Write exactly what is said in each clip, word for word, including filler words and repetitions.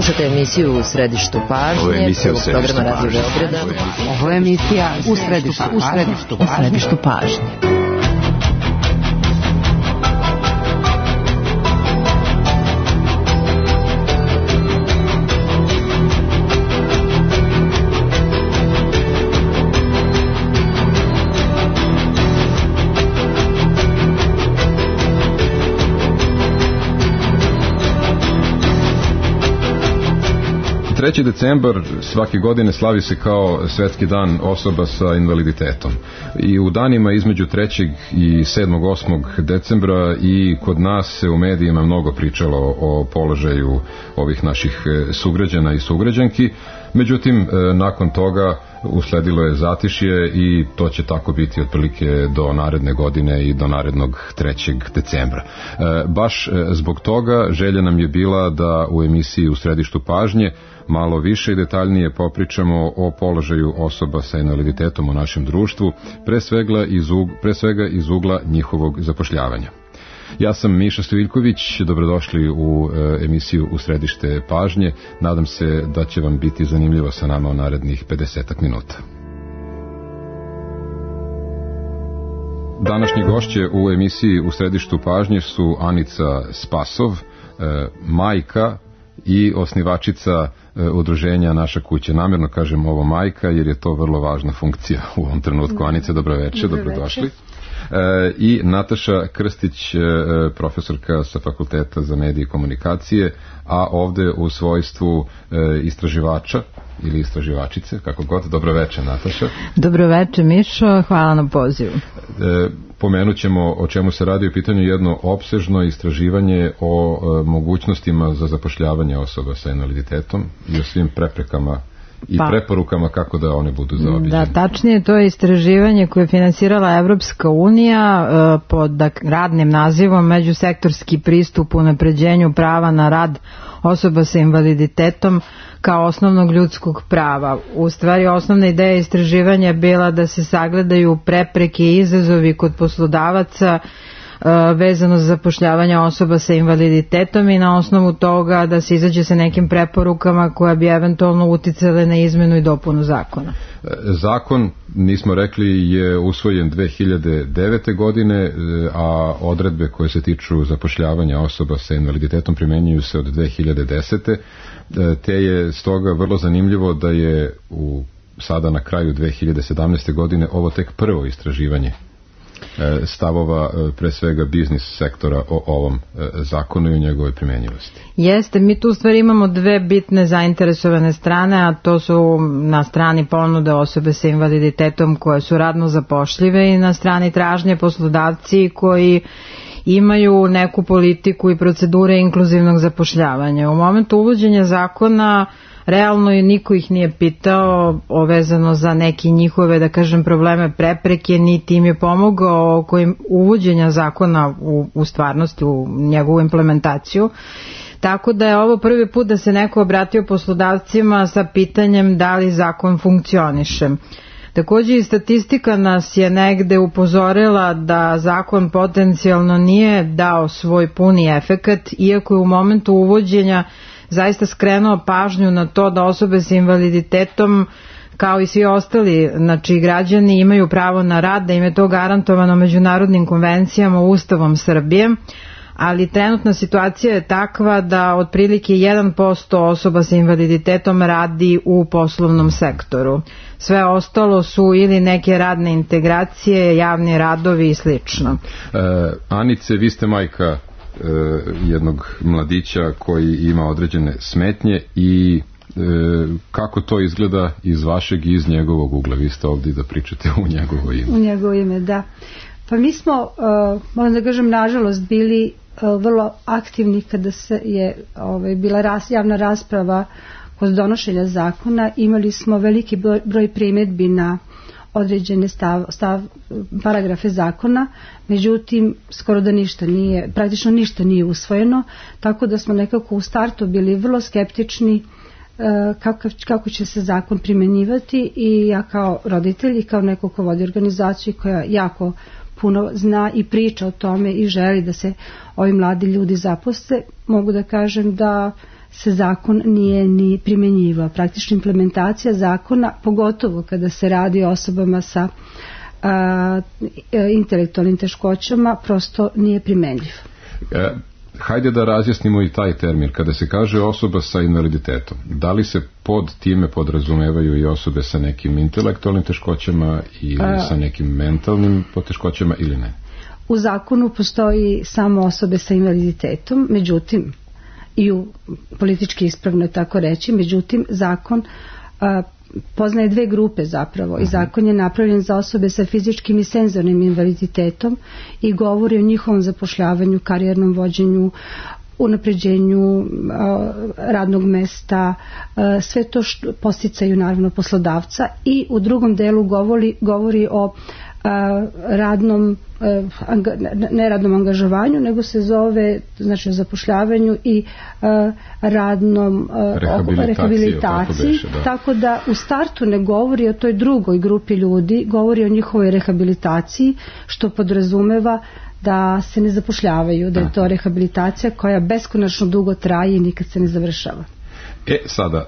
Slušate emisiju U središtu pažnje, prvog programa Radio Beograda. Ovo je emisija U središtu, u središtu, u središtu pažnje. treći decembar svake godine slavi se kao Svetski dan osoba sa invaliditetom. I u danima između trećeg i sedmog osmog decembra i kod nas se u medijima mnogo pričalo o položaju ovih naših sugrađana i sugrađanki. Međutim, nakon toga usledilo je zatišje i to će tako biti otprilike do naredne godine i do narednog trećeg decembra. Baš zbog toga želja nam je bila da u emisiji U središtu pažnje malo više i detaljnije popričamo o položaju osoba sa invaliditetom u našem društvu, pre svega iz, ug, pre svega iz ugla njihovog zapošljavanja. Ja sam Miša Stojiljković, dobrodošli u e, emisiju U središte pažnje. Nadam se da će vam biti zanimljivo sa nama u narednih pedesetak minuta. Današnji gošće u emisiji U središtu pažnje su Anica Spasov, e, majka i osnivačica e, udruženja Naša kuća. Namjerno kažem ovo majka jer je to vrlo važna funkcija u ovom trenutku. Anice, dobroveče, dobrodošli. E, i Nataša Krstić, e, profesorka sa Fakulteta za medije i komunikacije, a ovde u svojstvu e, istraživača ili istraživačice, kako god. Dobroveče, Nataša. Dobroveče, Mišo, hvala na pozivu. E, pomenut ćemo o čemu se radi u pitanju jedno opsežno istraživanje o e, mogućnostima za zapošljavanje osoba sa invaliditetom i o svim preprekama i pa, preporukama kako da one budu zaobiđene. Da, tačnije, to je istraživanje koje je finansirala Evropska unija e, pod radnim nazivom Međusektorski pristup unapređenju prava na rad osoba sa invaliditetom kao osnovnog ljudskog prava. U stvari, osnovna ideja istraživanja je bila da se sagledaju prepreke i izazovi kod poslodavaca vezano za zapošljavanje osoba sa invaliditetom i na osnovu toga da se izađe sa nekim preporukama koja bi eventualno uticale na izmenu i dopunu zakona. Zakon, nismo rekli, je usvojen dve hiljade devete. godine, a odredbe koje se tiču zapošljavanja osoba sa invaliditetom primenjuju se od dve hiljade desete. Te je stoga vrlo zanimljivo da je u, sada na kraju dve hiljade sedamnaeste. godine ovo tek prvo istraživanje stavova pre svega biznis sektora o ovom zakonu i o njegovoj primjenjivosti. Jeste, mi tu u stvari imamo dve bitne zainteresovane strane, a to su na strani ponude osobe sa invaliditetom koje su radno zapošljive i na strani tražnje poslodavci koji imaju neku politiku i procedure inkluzivnog zapošljavanja. U momentu uvođenja zakona realno i niko ih nije pitao vezano za neki njihove, da kažem, probleme, prepreke, niti im je pomogao oko uvođenja zakona u, u stvarnosti, u njegovu implementaciju. Tako da je ovo prvi put da se neko obratio poslodavcima sa pitanjem da li zakon funkcioniše. Takođe i statistika nas je negde upozorila da zakon potencijalno nije dao svoj puni efekat, iako je u momentu uvođenja zaista skrenuo pažnju na to da osobe sa invaliditetom kao i svi ostali, znači građani imaju pravo na rad, da im je to garantovano međunarodnim konvencijama, Ustavom Srbije, ali trenutna situacija je takva da otprilike jedan posto osoba sa invaliditetom radi u poslovnom sektoru. Sve ostalo su ili neke radne integracije, javni radovi i slično. E, Anice, vi ste majka jednog mladića koji ima određene smetnje i e, kako to izgleda iz vašeg i iz njegovog ugla? Vi ste ovdje da pričate u njegovo ime. U njegovo ime, da. Pa mi smo, uh, moram da kažem, nažalost bili uh, vrlo aktivni kada se je ovaj, bila ras, javna rasprava kod donošenja zakona. Imali smo veliki broj, broj primjedbi na određene stav, stav, paragrafe zakona, međutim skoro da ništa nije, praktično ništa nije usvojeno, tako da smo nekako u startu bili vrlo skeptični kako, kako će se zakon primjenjivati i ja kao roditelj i kao neko ko vodi organizaciju koja jako puno zna i priča o tome i želi da se ovi mladi ljudi zaposle, mogu da kažem da se zakon nije ni primjenjivao. Praktično implementacija zakona, pogotovo kada se radi o osobama sa a, intelektualnim teškoćama, prosto nije primenljiv. E, hajde da razjasnimo i taj termin. Kada se kaže osoba sa invaliditetom, da li se pod time podrazumevaju i osobe sa nekim intelektualnim teškoćama ili a, sa nekim mentalnim poteškoćama ili ne? U zakonu postoji samo osobe sa invaliditetom, međutim, i u politički ispravno tako reći, međutim, zakon a, poznaje dve grupe zapravo i zakon je napravljen za osobe sa fizičkim i senzornim invaliditetom i govori o njihovom zapošljavanju, karijernom vođenju, unapređenju a, radnog mesta, a, sve to što posticaju naravno poslodavca, i u drugom delu govori, govori o a, radnom anga, neradnom angažovanju, nego se zove, znači, o zapošljavanju i a, radnom a, rehabilitaciji, rehabilitaciji tako, da. Tako da u startu ne govori o toj drugoj grupi ljudi, govori o njihovoj rehabilitaciji, što podrazumeva da se ne zapošljavaju, da je to rehabilitacija koja beskonačno dugo traje i nikad se ne završava. E, sada,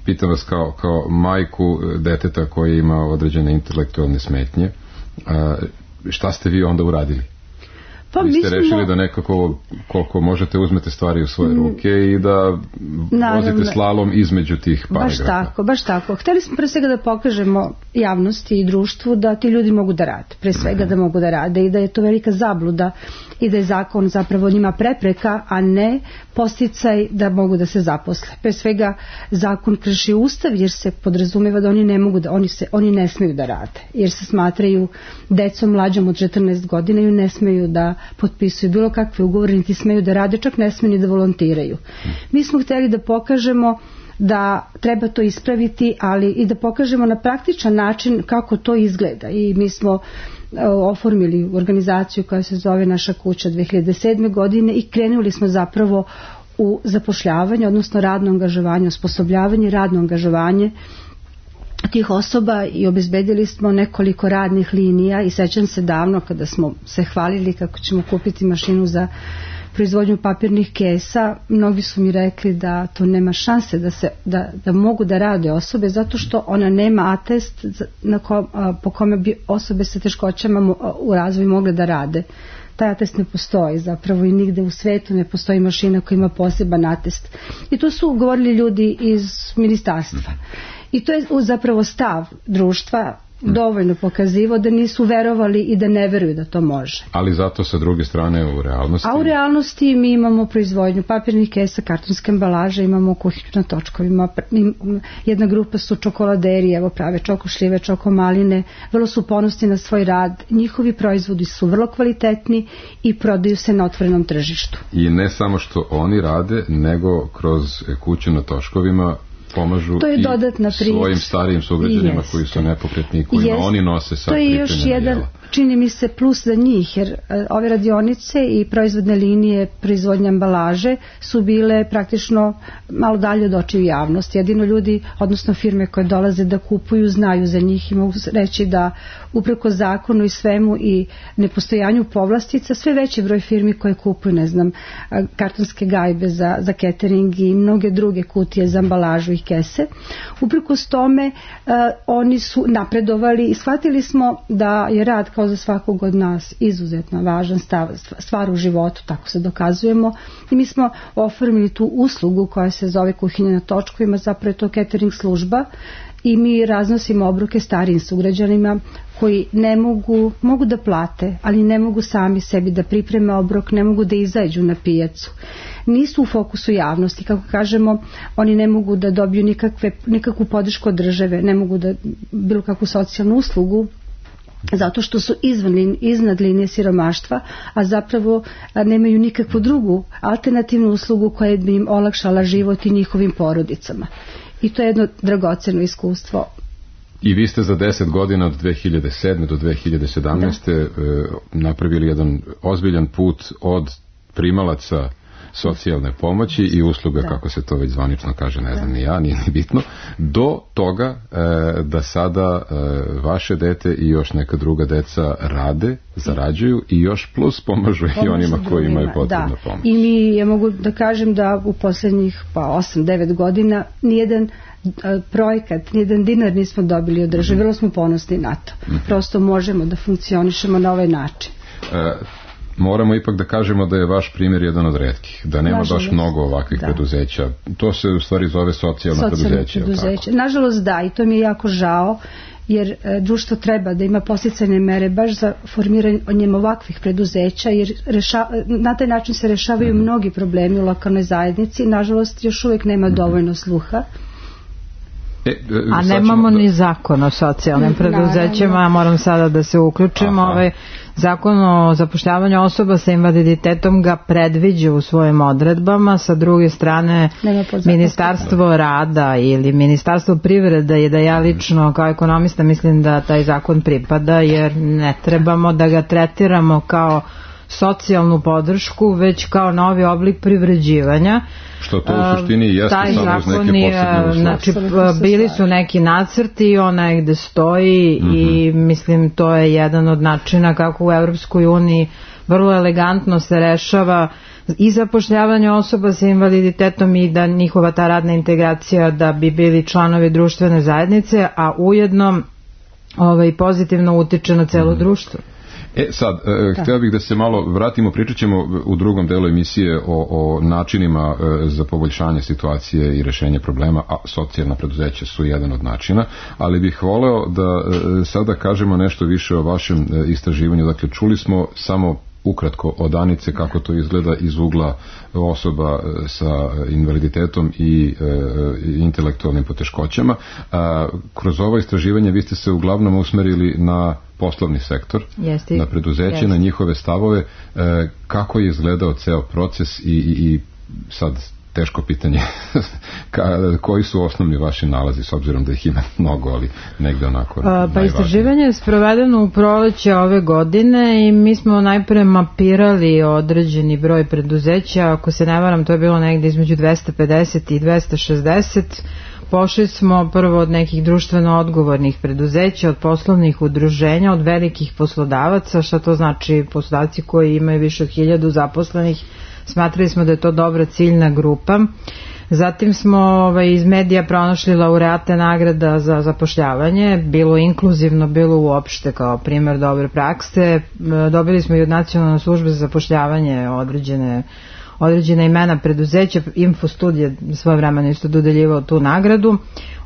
pitam vas kao, kao majku deteta koji ima određene intelektualne smetnje, šta ste vi onda uradili? Pa vi ste mislimo, rešili da nekako koliko možete uzmete stvari u svoje ruke i da naravno, vozite slalom između tih paragrafa. Baš tako, baš tako. Hteli smo pre svega da pokažemo javnosti i društvu da ti ljudi mogu da rade, pre svega da mogu da rade i da je to velika zabluda i da je zakon zapravo njima prepreka, a ne posticaj da mogu da se zaposle. Pre svega zakon krši ustav jer se podrazumeva da oni ne mogu da, oni se, oni ne smeju da rade, jer se smatraju decom mlađom od četrnaest godina i ne smeju da potpisuju bilo kakve ugovore, niti smeju da rade, čak ne smeju ni da volontiraju. Mi smo hteli da pokažemo da treba to ispraviti, ali i da pokažemo na praktičan način kako to izgleda, i mi smo oformili organizaciju koja se zove Naša kuća dve hiljade sedme. godine i krenuli smo zapravo u zapošljavanje, odnosno radno angažovanje, osposobljavanje, radno angažovanje tih osoba, i obezbedili smo nekoliko radnih linija. I sećam se davno kada smo se hvalili kako ćemo kupiti mašinu za proizvodnju papirnih kesa, mnogi su mi rekli da to nema šanse da, se, da, da mogu da rade osobe, zato što ona nema atest na ko, a, po kome bi osobe sa teškoćama u razvoju mogle da rade. Taj atest ne postoji zapravo i nigde u svetu ne postoji mašina koja ima poseban atest. I to su govorili ljudi iz ministarstva. I to je zapravo stav društva dovoljno pokazivo da nisu verovali i da ne veruju da to može. Ali zato sa druge strane u realnosti... A u realnosti mi imamo proizvodnju papirnih kesa, kartonske ambalaže, imamo kuhinju na točkovima, jedna grupa su čokoladeri, evo prave čokošljive, čokomaline, vrlo su ponosni na svoj rad, njihovi proizvodi su vrlo kvalitetni i prodaju se na otvorenom tržištu. I ne samo što oni rade, nego kroz kuću na točkovima pomažu i svojim starijim sugrađanima koji su nepokretni i kojima jest. Oni nose sad pripremljena jela. To je još jedan, čini mi se, plus za njih, jer ove radionice i proizvodne linije proizvodnje ambalaže su bile praktično malo dalje od očiju javnosti. Jedino ljudi, odnosno firme koje dolaze da kupuju, znaju za njih i mogu reći da upreko zakonu i svemu i nepostojanju povlastica, sve veći broj firmi koje kupuju, ne znam, kartonske gajbe za, za catering i mnoge druge kutije za ambalažu i kese. Uprkos tome uh, oni su napredovali i shvatili smo da je rad kao za svakog od nas izuzetno važan stav, stvar u životu, tako se dokazujemo, i mi smo oformili tu uslugu koja se zove kuhinja na točkovima, zapravo je to catering služba, i mi raznosimo obroke starijim sugrađanima koji ne mogu, mogu da plate, ali ne mogu sami sebi da pripreme obrok, ne mogu da izađu na pijacu. Nisu u fokusu javnosti, kako kažemo, oni ne mogu da dobiju nikakve, nikakvu podršku od države, ne mogu da bilo kakvu socijalnu uslugu, zato što su izvan, iznad linije siromaštva, a zapravo nemaju nikakvu drugu alternativnu uslugu koja bi im olakšala život i njihovim porodicama. I to je jedno dragoceno iskustvo. I vi ste za deset godina od dve hiljade sedme do dve hiljade sedamnaeste. Da. napravili jedan ozbiljan put od primalaca socijalne pomoći i usluga, da. Kako se to već zvanično kaže, ne znam da. Ni ja, nije ni bitno, do toga e, da sada e, vaše dete i još neka druga deca rade, zarađuju i još plus pomažu i onima koji imaju potrebnu pomoć. I mi, ja mogu da kažem da u poslednjih pa osam devet godina nijedan projekat, nijedan dinar nismo dobili od države, vrlo smo ponosni na to. Prosto možemo da funkcionišemo na ovaj način. E, moramo ipak da kažemo da je vaš primjer jedan od retkih, da nema nažalost, baš mnogo ovakvih da. preduzeća. To se u stvari zove socijalna preduzeća. preduzeća. Nažalost da, i to mi je jako žao, jer e, društvo treba da ima podsticajne mere baš za formiranjem ovakvih preduzeća, jer reša, na taj način se rešavaju mm-hmm. mnogi problemi u lokalnoj zajednici. Nažalost, još uvijek nema mm-hmm. dovoljno sluha. E, e, a nemamo da... ni zakon o socijalnim preduzećima, moram sada da se uključimo. Ovaj zakon o zapošljavanju osoba sa invaliditetom ga predviđa u svojim odredbama, sa druge strane Ministarstvo rada ili Ministarstvo privrede je da ja lično kao ekonomista mislim da taj zakon pripada, jer ne trebamo da ga tretiramo kao socijalnu podršku, već kao novi oblik privređivanja. Što to u suštini jeste samo uz neke posebne uslove. Znači, bili su neki nacrti, onaj gde stoji mm-hmm. i mislim to je jedan od načina kako u Evropskoj uniji vrlo elegantno se rešava i zapošljavanje osoba sa invaliditetom i da njihova ta radna integracija da bi bili članovi društvene zajednice, a ujedno ovaj, pozitivno utiče na celo mm-hmm. društvo. E sad, e, htio bih da se malo vratimo, pričat ćemo u drugom delu emisije o, o načinima e, za poboljšanje situacije i rešenje problema, a socijalna preduzeća su jedan od načina, ali bih voleo da e, sada kažemo nešto više o vašem e, istraživanju. Dakle, čuli smo samo ukratko od Anice kako to izgleda iz ugla osoba sa invaliditetom i e, intelektualnim poteškoćama. A, kroz ovo istraživanje vi ste se uglavnom usmerili na poslovni sektor, Jesti. na preduzeće, Jesti. na njihove stavove. E, kako je izgledao ceo proces i, i, i sad teško pitanje Ka, koji su osnovni vaši nalazi, s obzirom da ih ima mnogo, ali negde onako A, pa istraživanje je sprovedeno u proleće ove godine i mi smo najpre mapirali određeni broj preduzeća, ako se ne varam to je bilo negde između dvesta pedeset i dvesta šezdeset. Pošli smo prvo od nekih društveno odgovornih preduzeća, od poslovnih udruženja, od velikih poslodavaca. Šta to znači? Poslodavci koji imaju više od hiljadu zaposlenih. Smatrali smo da je to dobra ciljna grupa. Zatim smo ovaj, iz medija pronašli laureate nagrada za zapošljavanje, bilo inkluzivno, bilo uopšte kao primjer dobre prakse. Dobili smo i od Nacionalne službe za zapošljavanje određene određena imena preduzeća, Infostudije svoje vremena isto dodeljivao tu nagradu.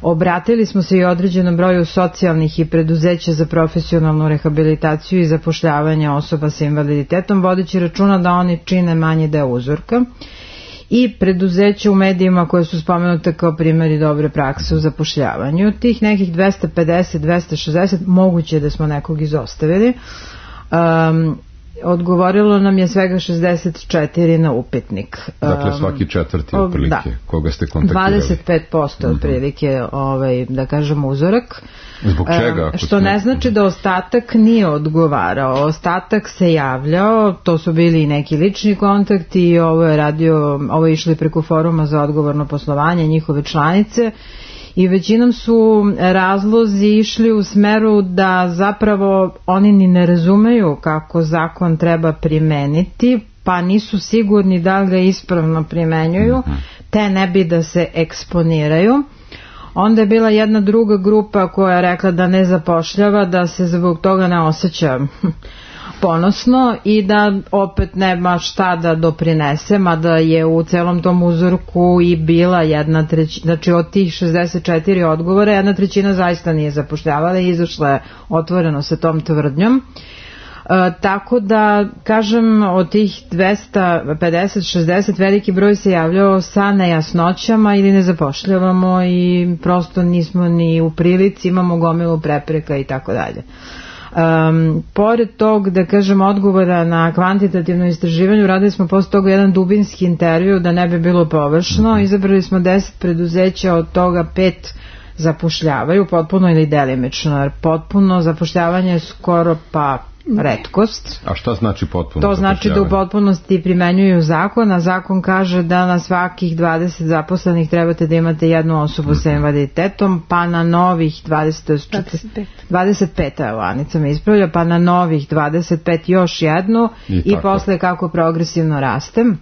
Obratili smo se i određenom broju socijalnih i preduzeća za profesionalnu rehabilitaciju i zapošljavanje osoba sa invaliditetom, vodeći računa da oni čine manji deo uzorka, i preduzeća u medijima koje su spomenute kao primjeri dobre prakse u zapošljavanju. Tih nekih dvesta pedeset do dvesta šezdeset moguće da smo nekog izostavili. Um, Odgovorilo nam je svega šezdeset četiri na upitnik. Dakle, svaki četvrti otprilike, da. Koga ste kontaktirali? dvadeset pet posto otprilike, ovaj, da kažemo, uzorak. Zbog čega? Što smo... ne znači da ostatak nije odgovarao. Ostatak se javljao, to su bili i neki lični kontakti i ovo je radio, ovo je išli preko foruma za odgovorno poslovanje, njihove članice. I većinom su razlozi išli u smeru da zapravo oni ni ne razumeju kako zakon treba primeniti, pa nisu sigurni da li ga ispravno primenjuju, te ne bi da se eksponiraju. Onda je bila jedna druga grupa koja je rekla da ne zapošljava, da se zbog toga ne osjeća ponosno i da opet nema šta da doprinese, mada je u celom tom uzorku i bila jedna trećina, znači od tih šezdeset četiri odgovora jedna trećina zaista nije zapošljavala i izašla je otvoreno sa tom tvrdnjom. E, tako da, kažem, od tih dvesta pedeset do šezdeset veliki broj se javljao sa nejasnoćama ili ne zapošljavamo i prosto nismo ni u prilici, imamo gomilu prepreka i tako dalje. Um, pored tog, da kažem, odgovora na kvantitativno istraživanje, radili smo posle toga jedan dubinski intervju da ne bi bilo površno. Izabrali smo deset preduzeća, od toga pet zapošljavaju potpuno ili delimično, jer potpuno zapošljavanje je skoro pa retkost. A šta znači potpuno To znači da u potpunosti primenjuju zakon, a zakon kaže da na svakih dvadeset zaposlenih trebate da imate jednu osobu mm-hmm. sa invaliditetom, pa na novih dvadeset, dvadeset pet, evo Anica me ispravlja, pa na novih dvadeset pet još jednu i, i posle kako progresivno rastem.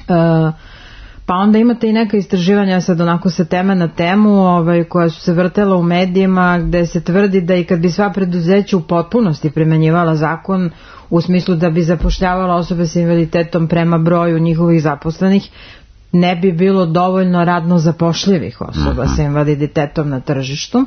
Uh, Pa onda imate i neka istraživanja sad onako sa teme na temu ovaj, koja su se vrtela u medijima gde se tvrdi da i kad bi sva preduzeća u potpunosti primenjivala zakon u smislu da bi zapošljavala osobe sa invaliditetom prema broju njihovih zaposlenih, ne bi bilo dovoljno radno zapošljivih osoba sa invaliditetom na tržištu.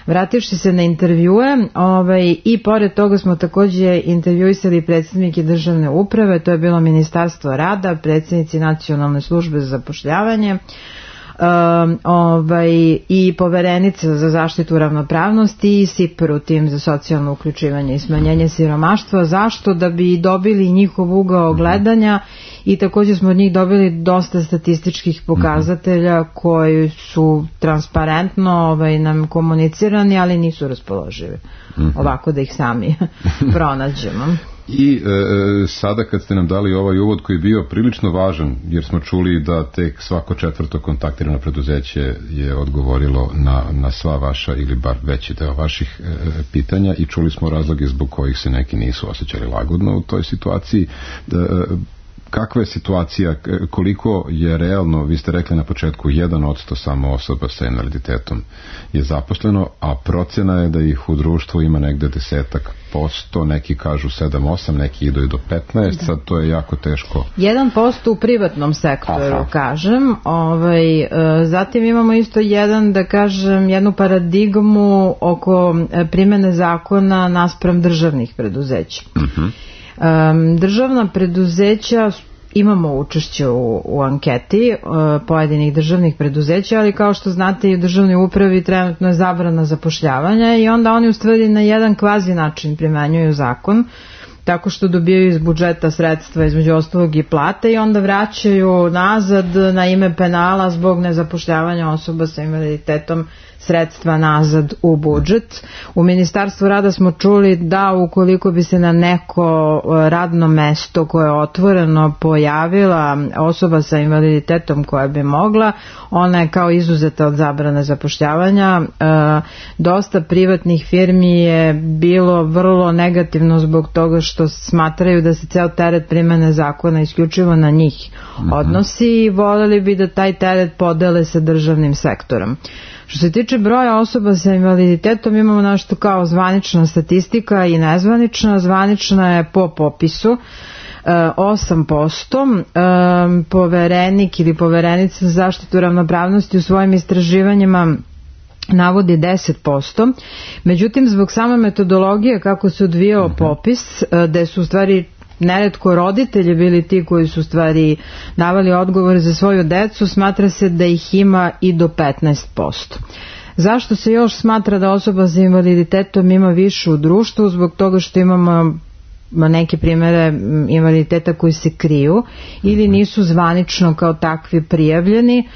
Vrativši se na intervjue, ovaj, i pored toga smo takođe intervjuisali predsjednike državne uprave, to je bilo Ministarstvo rada, predsjednici Nacionalne službe za zapošljavanje, um, ovaj, i poverenica za zaštitu ravnopravnosti i S I P R U, tim za socijalno uključivanje i smanjenje siromaštva. Zašto? Da bi dobili njihov ugao gledanja i također smo od njih dobili dosta statističkih pokazatelja koji su transparentno ovaj, nam komunicirani, ali nisu raspoloživi. Ovako da ih sami pronađemo. I e, sada kad ste nam dali ovaj uvod koji je bio prilično važan, jer smo čuli da tek svako četvrto kontaktirano preduzeće je odgovorilo na, na sva vaša ili bar veći deo vaših e, pitanja i čuli smo razloge zbog kojih se neki nisu osjećali lagodno u toj situaciji. E, kakva je situacija, koliko je realno, vi ste rekli na početku, jedan odsto samo osoba sa invaliditetom je zaposleno, a procena je da ih u društvu ima negde desetak posto, neki kažu sedam osam, neki idu i do petnaest, sad to je jako teško. jedan posto u privatnom sektoru, Aha. kažem, ovaj, zatim imamo isto jedan, da kažem, jednu paradigmu oko primene zakona naspram državnih preduzeća. Uh-huh. Um, državna preduzeća, imamo učešće u, u anketi uh, pojedinih državnih preduzeća, ali kao što znate i u državnoj upravi trenutno je zabrana zapošljavanja i onda oni u stvari na jedan kvazi način primenjuju zakon tako što dobijaju iz budžeta sredstva između ostalog i plate i onda vraćaju nazad na ime penala zbog nezapošljavanja osoba sa invaliditetom sredstva nazad u budžet. U Ministarstvu rada smo čuli da ukoliko bi se na neko radno mesto koje je otvoreno pojavila osoba sa invaliditetom koja bi mogla, ona je kao izuzeta od zabrane zapošljavanja. E, dosta privatnih firmi je bilo vrlo negativno zbog toga što smatraju da se ceo teret primene zakona isključivo na njih odnosi i voljeli bi da taj teret podele sa državnim sektorom. Što se tiče broja osoba sa invaliditetom, imamo nešto kao zvanična statistika i nezvanična. Zvanična je po popisu osam posto, poverenik ili poverenica za zaštitu ravnopravnosti u svojim istraživanjima navodi deset posto. Međutim, zbog same metodologije kako se odvijao popis, gde su u stvari neretko roditelji bili ti koji su stvari davali odgovore za svoju decu, smatra se da ih ima i do petnaest posto. Zašto se još smatra da osoba sa invaliditetom ima više u društvu? Zbog toga što imamo neke primere invaliditeta koji se kriju ili nisu zvanično kao takvi prijavljeni.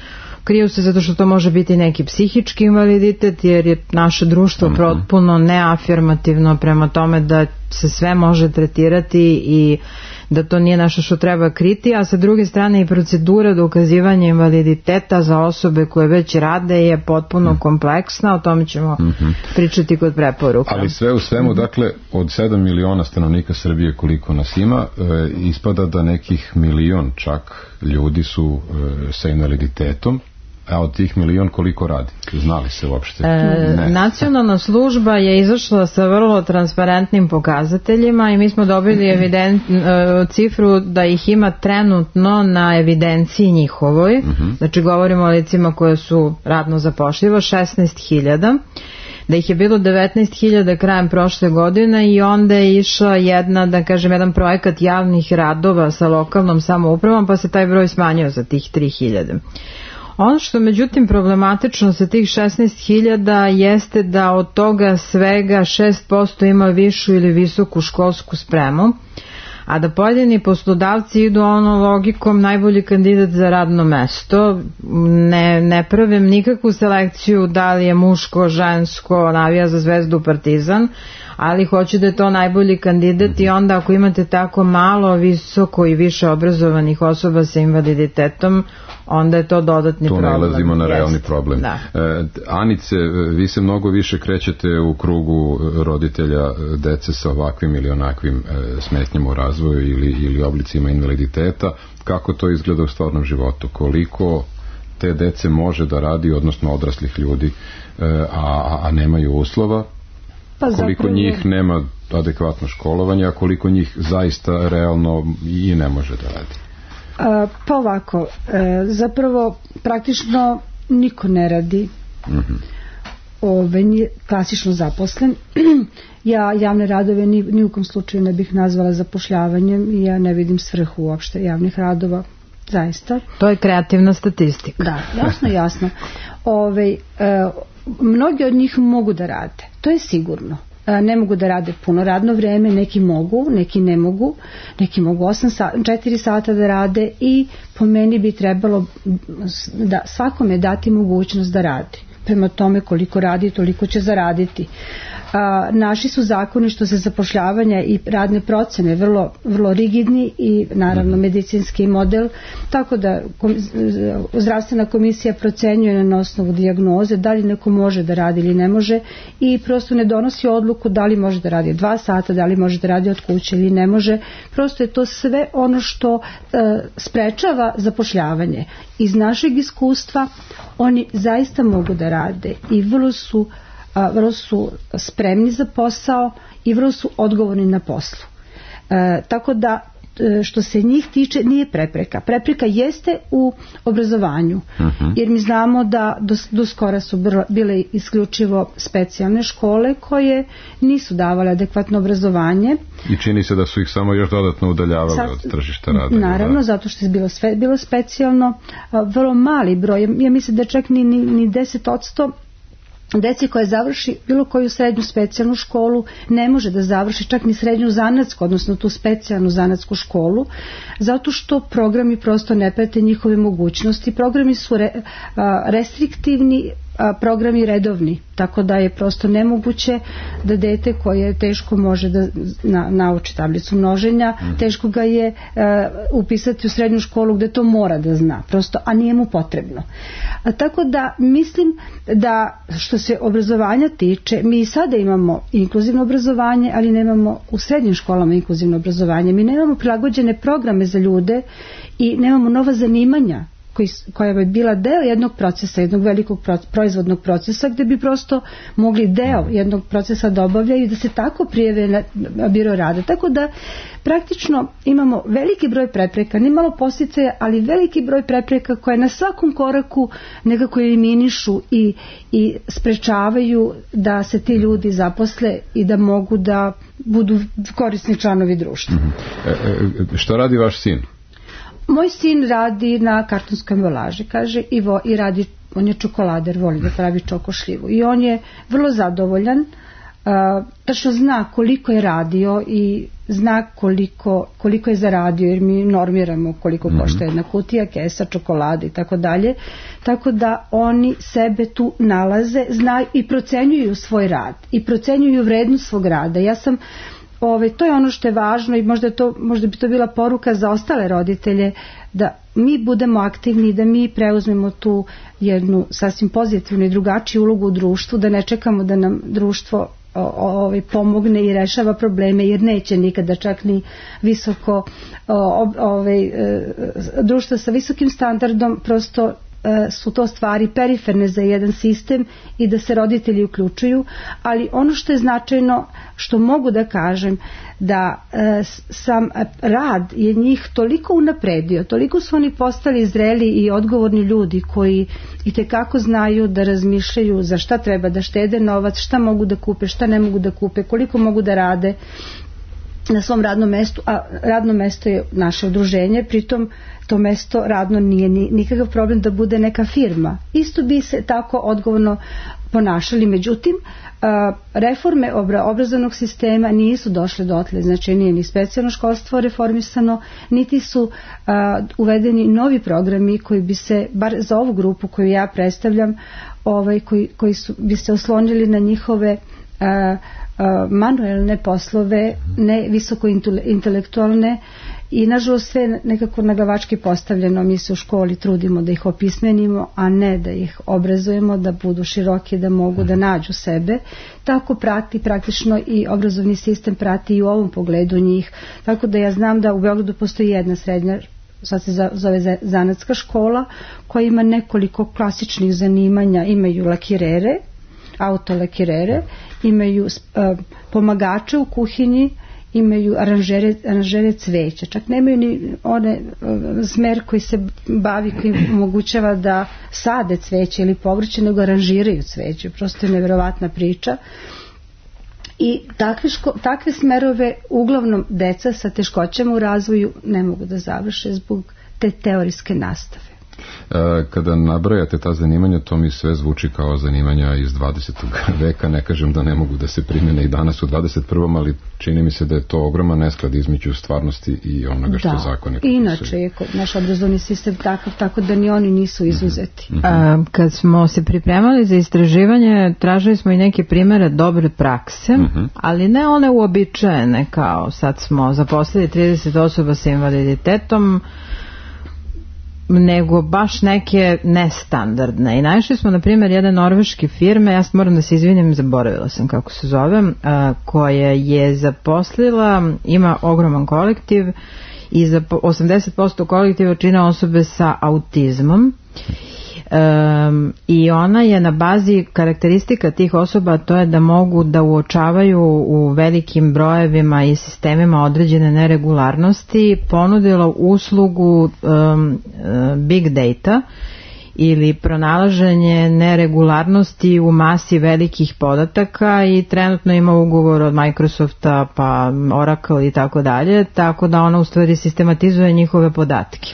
Kriju se zato što to može biti neki psihički invaliditet, jer je naše društvo potpuno neafirmativno prema tome da se sve može tretirati i da to nije nešto što treba kriti, a sa druge strane i procedura dokazivanja invaliditeta za osobe koje već rade je potpuno kompleksna, o tome ćemo mm-hmm. pričati kod preporuka. Ali sve u svemu, dakle, od sedam miliona stanovnika Srbije koliko nas ima, e, ispada da nekih milion čak ljudi su e, sa invaliditetom. A od tih milion koliko radi? Znali se uopšte? E, nacionalna služba je izašla sa vrlo transparentnim pokazateljima i mi smo dobili evident, e, cifru da ih ima trenutno na evidenciji njihovoj. Uh-huh. Znači govorimo o licima koje su radno zapošljivo, šesnaest hiljada. Da ih je bilo devetnaest hiljada krajem prošle godine i onda je išla jedna, da kažem, jedan projekat javnih radova sa lokalnom samoupravom, pa se taj broj smanjio za tih tri hiljade. Ono što međutim problematično sa tih šesnaest hiljada jeste da od toga svega šest posto ima višu ili visoku školsku spremu, a da pojedini poslodavci idu ono logikom najbolji kandidat za radno mesto, ne, ne pravim nikakvu selekciju da li je muško, žensko, navija za Zvezdu, Partizan, ali hoću da je to najbolji kandidat i onda ako imate tako malo visoko i više obrazovanih osoba sa invaliditetom, onda je to dodatni tu problem. Tu nalazimo na realni Jest. problem. Da. E, Anice, vi se mnogo više krećete u krugu roditelja dece sa ovakvim ili onakvim e, smetnjama u razvoju ili, ili oblicima invaliditeta. Kako to izgleda u stvarnom životu? Koliko te dece može da radi, odnosno odraslih ljudi, e, a, a nemaju uslova? Pa koliko zapravo njih nema adekvatno školovanje, a koliko njih zaista realno i ne može da radi? Pa ovako, zapravo praktično niko ne radi, mm-hmm. Ove, nije klasično zaposlen. Ja javne radove ni, ni u kom slučaju ne bih nazvala zapošljavanjem i ja ne vidim svrhu uopšte javnih radova, zaista. To je kreativna statistika. Da, jasno, jasno. Ove, e, mnogi od njih mogu da rade, to je sigurno. Ne mogu da rade puno radno vreme, neki mogu, neki ne mogu, neki mogu osam sata, četiri sata da rade i po meni bi trebalo da svakome dati mogućnost da radi. Prema tome koliko radi, toliko će zaraditi. A, naši su zakoni što se zapošljavanja i radne procene vrlo, vrlo rigidni i naravno medicinski model, tako da kom, zdravstvena komisija procenjuje na osnovu dijagnoze da li neko može da radi ili ne može i prosto ne donosi odluku da li može da radi dva sata, da li može da radi od kuće ili ne može. Prosto je to sve ono što e, sprečava zapošljavanje. Iz našeg iskustva oni zaista mogu da rade i vrlo su A, vrlo su spremni za posao i vrlo su odgovorni na poslu. E, tako da što se njih tiče nije prepreka. Prepreka jeste u obrazovanju, uh-huh. jer mi znamo da do, do skora su bile isključivo specijalne škole koje nisu davale adekvatno obrazovanje. I čini se da su ih samo još dodatno udaljavale Sad, od tržišta rada. Naravno, da? Zato što je bilo, sve, bilo specijalno, vrlo mali broj. Ja mislim da čak ni, ni, ni deset odsto deci koja završi bilo koju srednju specijalnu školu ne može da završi čak ni srednju zanatsku, odnosno tu specijalnu zanatsku školu, zato što programi prosto ne prate njihove mogućnosti. Programi su re, a, restriktivni, a programi redovni, tako da je prosto nemoguće da dete koje teško može da na, nauči tablicu množenja, mm. teško ga je a, upisati u srednju školu gde to mora da zna, prosto, a nije mu potrebno. A, tako da mislim da što se obrazovanja tiče, mi sada imamo inkluzivno obrazovanje, ali nemamo u srednjim školama inkluzivno obrazovanje. Mi nemamo prilagođene programe za ljude i nemamo nova zanimanja koja bi bila deo jednog procesa, jednog velikog proizvodnog procesa, gde bi prosto mogli deo jednog procesa da obavljaju i da se tako prijave na biro rada. Tako da praktično imamo veliki broj prepreka, ni malo posticaja, ali veliki broj prepreka koje na svakom koraku nekako eliminišu i, i sprečavaju da se ti ljudi zaposle i da mogu da budu korisni članovi društva. Mm-hmm. E, e, šta radi vaš sin? Moj sin radi na kartonskoj ambalaži, kaže, i, vo, i radi, on je čokolader, voli da pravi čokošljivu. I on je vrlo zadovoljan, uh, tačno zna koliko je radio i zna koliko, koliko je zaradio, jer mi normiramo koliko mm-hmm. košta jedna kutija, kesa, čokolade i tako dalje. Tako da oni sebe tu nalaze, znaju i procenjuju svoj rad i procenjuju vrednost svog rada. Ja sam Ove, to je ono što je važno i možda, to, možda bi to bila poruka za ostale roditelje, da mi budemo aktivni, da mi preuzmemo tu jednu sasvim pozitivnu i drugačiju ulogu u društvu, da ne čekamo da nam društvo o, o, pomogne i rešava probleme, jer neće nikada, čak ni visoko o, ove, društvo sa visokim standardom prosto su to stvari periferne za jedan sistem i da se roditelji uključuju, ali ono što je značajno, što mogu da kažem, da e, sam rad je njih toliko unapredio, toliko su oni postali zreli i odgovorni ljudi koji itekako znaju da razmišljaju za šta treba da štede novac, šta mogu da kupe, šta ne mogu da kupe, koliko mogu da rade na svom radnom mestu, a radno mesto je naše udruženje, pritom to mesto radno nije ni, nikakav problem da bude neka firma. Isto bi se tako odgovorno ponašali, međutim reforme obrazovnog sistema nisu došle dotle, znači nije ni specijalno školstvo reformisano, niti su uvedeni novi programi koji bi se, bar za ovu grupu koju ja predstavljam, ovaj, koji, koji su, bi se oslonili na njihove manuelne poslove, ne visoko intelektualne, i nažalost sve nekako naglavački postavljeno. Mi se u školi trudimo da ih opismenimo, a ne da ih obrazujemo, da budu široki, da mogu da nađu sebe. Tako prati praktično i obrazovni sistem prati i u ovom pogledu njih. Tako da ja znam da u Beogradu postoji jedna srednja, sad se zove zanatska škola, koja ima nekoliko klasičnih zanimanja. Imaju lakirere, autolakirere, imaju uh, pomagače u kuhinji, imaju aranžere, aranžere cveća, čak nemaju ni one uh, smer koji se bavi, koji omogućava da sade cveće ili povrće, nego aranžiraju cveće. Prosto je neverovatna priča. I takve, ško, takve smerove uglavnom deca sa teškoćama u razvoju ne mogu da završe zbog te teorijske nastave. Kada nabrajate ta zanimanja, to mi sve zvuči kao zanimanja iz dvadesetog veka. Ne kažem da ne mogu da se primjene i danas u dvadeset prvom, ali čini mi se da je to ogroman nesklad između stvarnosti i onoga što da, zakoni propisuju. Inače je naš obrazovni sistem takav, tako da ni oni nisu izuzeti. Mm-hmm. A, kad smo se pripremali za istraživanje, tražili smo i neke primere dobre prakse, mm-hmm. ali ne one uobičajene, kao sad smo zaposlili trideset osoba sa invaliditetom, nego baš neke nestandardne. I našli smo, na primjer, jedne norveške firme, ja moram da se izvinim, zaboravila sam kako se zove, koja je zaposlila, ima ogroman kolektiv i za osamdeset posto kolektiva čine osobe sa autizmom. Um, i ona je na bazi karakteristika tih osoba, to je da mogu da uočavaju u velikim brojevima i sistemima određene neregularnosti, ponudila uslugu um, big data ili pronalaženje neregularnosti u masi velikih podataka, i trenutno ima ugovor od Microsofta pa Oracle i tako dalje, tako da ona u stvari sistematizuje njihove podatke.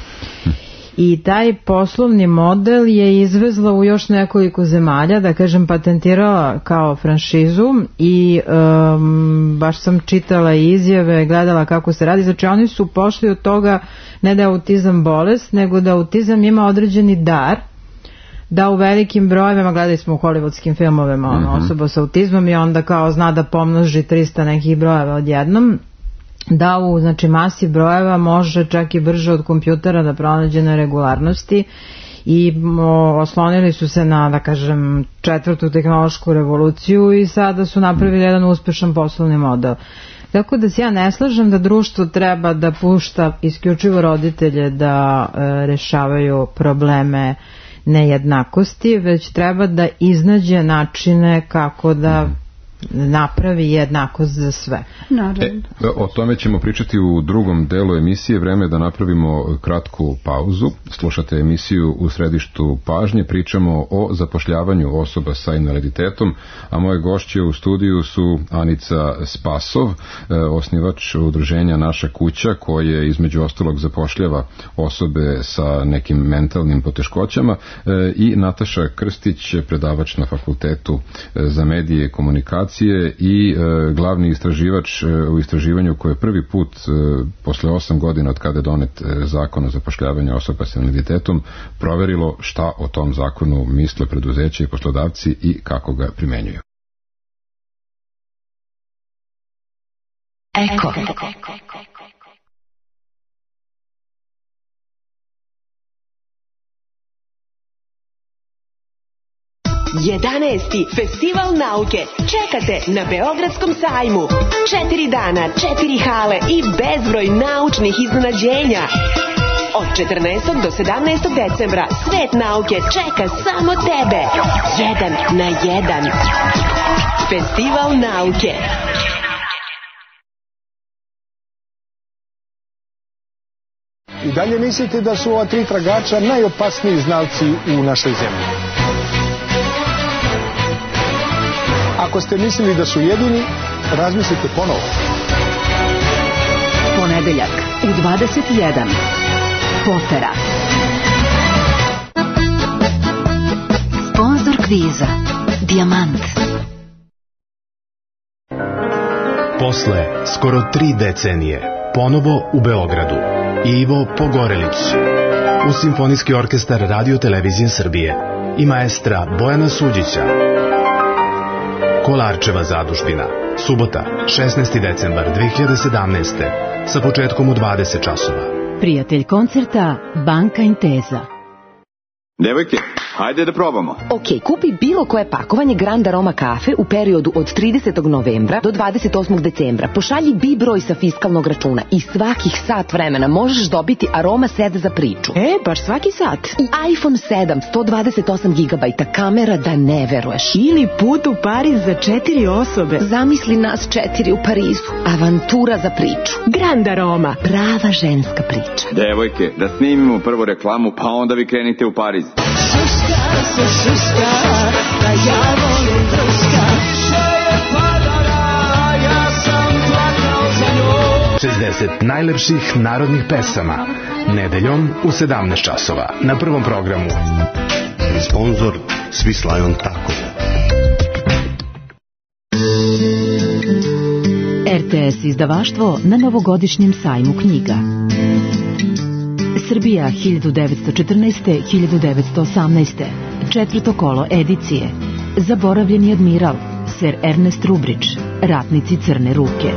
I taj poslovni model je izvezla u još nekoliko zemalja, da kažem patentirala kao franšizu, i um, baš sam čitala izjave, gledala kako se radi. Znači oni su pošli od toga ne da je autizam bolest, nego da autizam ima određeni dar, da u velikim brojevima, gledali smo u hollywoodskim filmovima, ono, mm-hmm. osoba sa autizmom i onda kao zna da pomnoži trista nekih brojeva odjednom, da u znači masi brojeva može čak i brže od kompjutera da pronađe neregularnosti, i o, oslonili su se na, da kažem, četvrtu tehnološku revoluciju i sada su napravili jedan uspešan poslovni model. Tako da se ja ne slažem da društvo treba da pušta isključivo roditelje da e, rešavaju probleme nejednakosti, već treba da iznađe načine kako da napravi jednakost za sve. E, o tome ćemo pričati u drugom delu emisije. Vreme je da napravimo kratku pauzu. Slušate emisiju U središtu pažnje. Pričamo o zapošljavanju osoba sa invaliditetom, a moje gošće u studiju su Anica Spasov, osnivač udruženja Naša kuća, koje između ostalog zapošljava osobe sa nekim mentalnim poteškoćama, i Nataša Krstić, predavač na Fakultetu za medije i komunikacije i e, glavni istraživač e, u istraživanju koje je prvi put e, posle osam godina od kada je donet e, zakon o zapošljavanju osoba sa invaliditetom proverilo šta o tom zakonu misle preduzeće i poslodavci i kako ga primenjuju. Eko. jedanaesti Festival nauke čekate na Beogradskom sajmu. Četiri dana, četiri hale i bezbroj naučnih iznenađenja. Od četrnaestog do sedamnaestog decembra svet nauke čeka samo tebe. Jedan na jedan. Festival nauke. I dalje mislite da su ova tri tragača najopasniji znalci u našoj zemlji? Ako ste mislili da su jedini, razmislite ponovo. Ponedeljak u dvadeset jedan. Potera. Sponzor kviza Dijamant. Posle skoro tri decenije, ponovo u Beogradu, Ivo Pogorelić, uz Simfonijski orkestar Radio Televizije Srbije i maestra Bojana Suđića. Kolarčeva zadužbina. Subota, šesnaesti decembar dve hiljade sedamnaeste. Sa početkom u dvadeset časova. Prijatelj koncerta Banka Intesa. Devojke, hajde da probamo. Ok, kupi bilo koje pakovanje Grand Aroma kafe u periodu od tridesetog novembra do dvadeset osmog decembra. Pošalji B I broj sa fiskalnog računa i svakih sat vremena možeš dobiti Aroma set za priču. E, baš svaki sat. I iPhone sedam, sto dvadeset osam gigabajta, kamera da ne veruješ. Ili put u Pariz za četiri osobe. Zamisli nas četiri u Parizu. Avantura za priču. Grand Aroma. Prava ženska priča. Devojke, da snimimo prvo reklamu, pa onda vi krenite u Pariz. Šuška se šuška, da ja volim drska. Više je padala, ja sam plakao za njom. šezdeset najlepših narodnih pesama. Nedeljom u sedamnaest časova. Na prvom programu. Sponzor Swiss Lion Taco. R T S izdavaštvo na novogodišnjem sajmu knjiga. Srbija hiljadu devetsto četrnaeste do hiljadu devetsto osamnaeste. Četvrto kolo edicije. Zaboravljeni admiral, ser Ernest Rubrić, Ratnici crne ruke.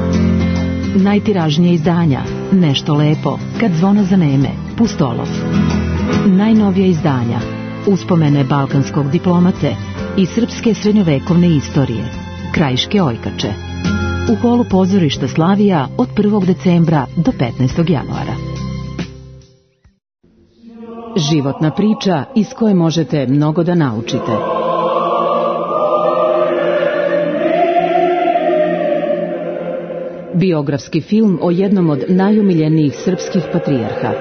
Najtiražnije izdanja, Nešto lepo, Kad zvona zaneme, Pustolov. Najnovija izdanja, Uspomene balkanskog diplomate i srpske srednjovekovne istorije, Krajiške ojkače. U holu pozorišta Slavija od prvog decembra do petnaestog januara. Životna priča iz koje možete mnogo da naučite. Biografski film o jednom od najumiljenijih srpskih patrijarha.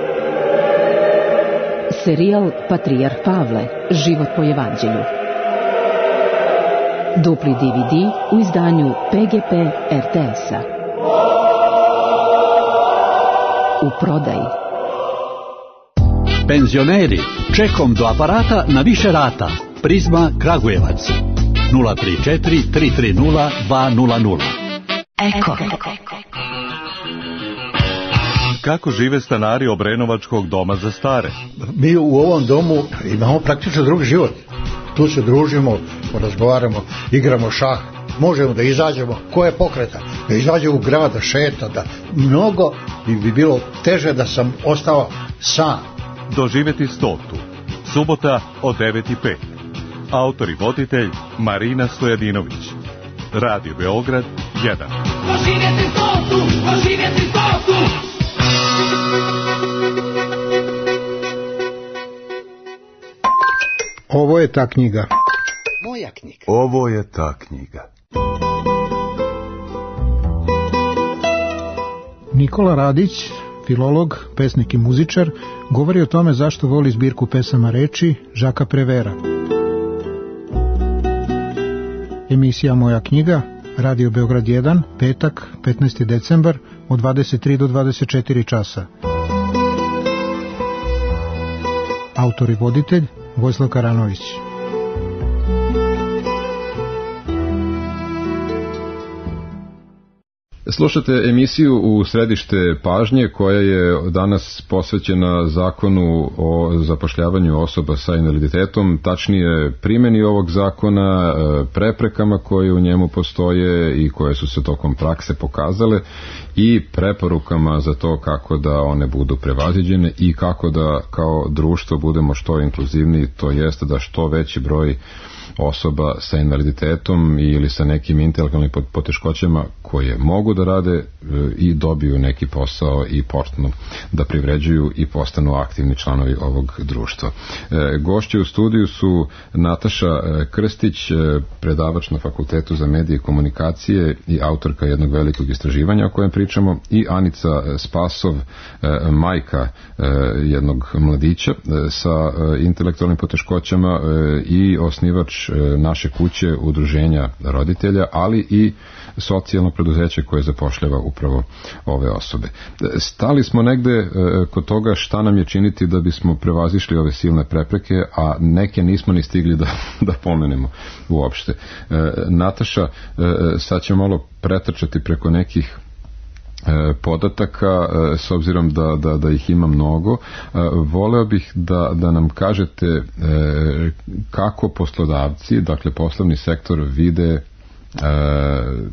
Serijal Patrijarh Pavle, život po evanđelju. Dupli D V D u izdanju P G P R T S-a. U prodaji. Penzioneri, čekom do aparata na više rata. Prizma Kragujevac. nula tri četiri tri tri nula dva nula nula. Eko. Kako žive stanari Obrenovačkog doma za stare? Mi u ovom domu imamo praktično drugi život. Tu se družimo, porazgovaramo, igramo šah, možemo da izađemo, ko je pokreta, da izađe u grad, da šeta, da mnogo bi bilo teže da sam ostao sam. Doživeti stotu. Subota od devet i pet. Autor i voditelj Marina Stojadinović. Radio Beograd jedan. Doživjeti stotu, doživjeti stotu. Ovo je ta knjiga. Moja knjiga. Ovo je ta knjiga. Nikola Radić, filolog, pesnik i muzičar, govori o tome zašto voli zbirku pesama reči Žaka Prevera. Emisija Moja knjiga, Radio Beograd jedan, petak, petnaesti decembar, od dvadeset tri do dvadeset četiri časa. Autor i voditelj Vojislav Karanović. Slušate emisiju U središte pažnje koja je danas posvećena zakonu o zapošljavanju osoba sa invaliditetom, tačnije primjeni ovog zakona, preprekama koje u njemu postoje i koje su se tokom prakse pokazale i preporukama za to kako da one budu prevaziđene i kako da kao društvo budemo što inkluzivniji, to jeste da što veći broj osoba sa invaliditetom ili sa nekim intelektualnim poteškoćama koje mogu da rade i dobiju neki posao i počnu da privređuju i postanu aktivni članovi ovog društva. Gošće u studiju su Nataša Krstić, predavač na Fakultetu za medije i komunikacije i autorka jednog velikog istraživanja o kojem pričamo, i Anica Spasov, majka jednog mladića sa intelektualnim poteškoćama i osnivač naše kuće, udruženja roditelja, ali i socijalno preduzeće koje zapošljava upravo ove osobe. Stali smo negde kod toga šta nam je činiti da bismo prevazišli ove silne prepreke, a neke nismo ni stigli da, da pomenemo uopšte. Nataša, sad ćemo malo pretrčati preko nekih podataka, s obzirom da, da, da ih ima mnogo. Voleo bih da, da nam kažete kako poslodavci, dakle poslovni sektor, vide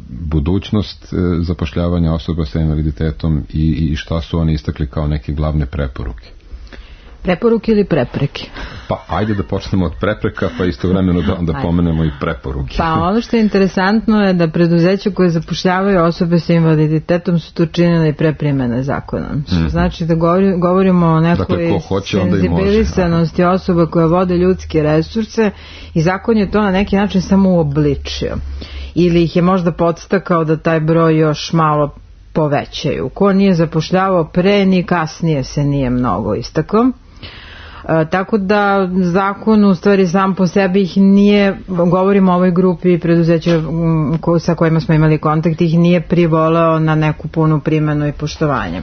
budućnost zapošljavanja osoba sa invaliditetom i, i šta su oni istakli kao neke glavne preporuke? Preporuke ili prepreke? Pa ajde da počnemo od prepreka, pa istovremeno da, da pomenemo i preporuke. Pa ono što je interesantno je da preduzeća koje zapošljavaju osobe sa invaliditetom su to činile i pre primene zakona. Mm-hmm. Znači da govori, govorimo o nekoj dakle, senzibilisanosti osoba koje vode ljudske resurse i zakon je to na neki način samo uobličio. Ili ih je možda podstakao da taj broj još malo povećaju. Ko nije zapošljavao pre ni kasnije se nije mnogo istakao. E, tako da zakon u stvari sam po sebi ih nije, govorimo o ovoj grupi preduzeća ko, sa kojima smo imali kontakt, ih nije privoleo na neku punu primjenu i poštovanje. E,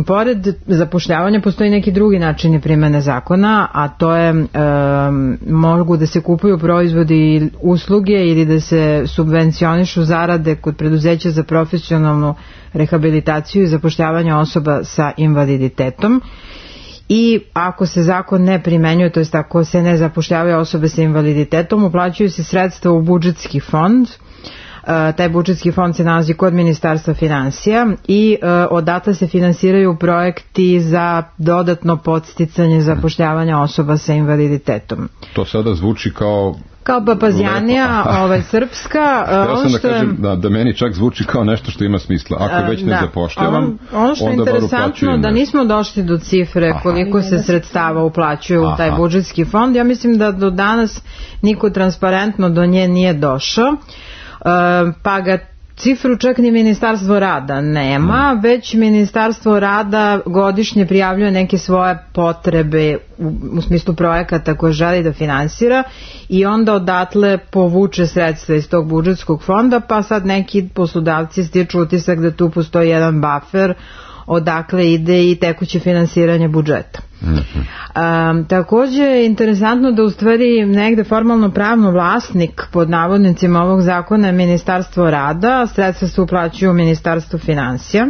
pored zapošljavanja postoji neki drugi načini primjene zakona, a to je e, mogu da se kupuju proizvodi i usluge ili da se subvencionišu zarade kod preduzeća za profesionalnu rehabilitaciju i zapošljavanje osoba sa invaliditetom. I ako se zakon ne primenjuje, to jest ako se ne zapošljavaju osobe sa invaliditetom, uplaćuju se sredstva u budžetski fond. Uh, taj budžetski fond se nalazi kod Ministarstva finansija i uh, odatle se finansiraju projekti za dodatno podsticanje zapošljavanja osoba sa invaliditetom. To sada zvuči kao kao papazjanija, ovaj, srpska. Ja sam da kažem da, da meni čak zvuči kao nešto što ima smisla. Ako već ne da. zapošljavam, on, ono što je interesantno da nismo došli do cifre koliko Aha. se sredstava uplaćuju u taj budžetski fond. Ja mislim da do danas niko transparentno do nje nije došao. Pa ga cifru čak ni Ministarstvo rada nema, hmm. već Ministarstvo rada godišnje prijavljuje neke svoje potrebe u, u smislu projekata koje želi da finansira i onda odatle povuče sredstva iz tog budžetskog fonda, pa sad neki poslodavci stiču utisak da tu postoji jedan buffer odakle ide i tekuće finansiranje budžeta. Mm-hmm. Um, također je interesantno da u stvari negde formalno pravno vlasnik pod navodnicima ovog zakona je Ministarstvo rada, sredstva se uplaćuju u Ministarstvo finansija.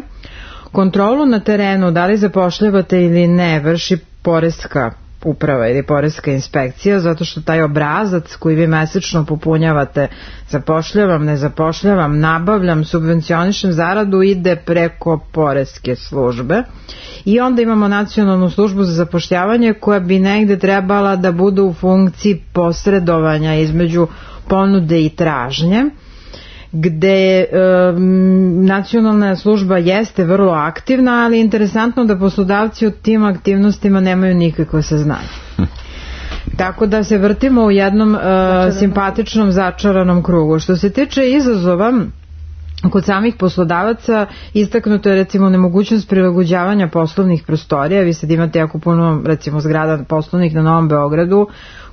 Kontrolu na terenu, da li zapošljavate ili ne, vrši poreska uprava ili poreska inspekcija, zato što taj obrazac koji vi mesečno popunjavate, zapošljavam, ne zapošljavam, nabavljam, subvencionišem zaradu, ide preko poreske službe. I onda imamo nacionalnu službu za zapošljavanje koja bi negde trebala da bude u funkciji posredovanja između ponude i tražnje, gde e, nacionalna služba jeste vrlo aktivna, ali interesantno da poslodavci o tim aktivnostima nemaju nikakve saznanje. Tako da se vrtimo u jednom e, simpatičnom začaranom krugu. Što se tiče izazova kod samih poslodavaca, istaknuto je recimo nemogućnost prilagođavanja poslovnih prostorija. Vi sad imate jako puno recimo zgrada poslovnih na Novom Beogradu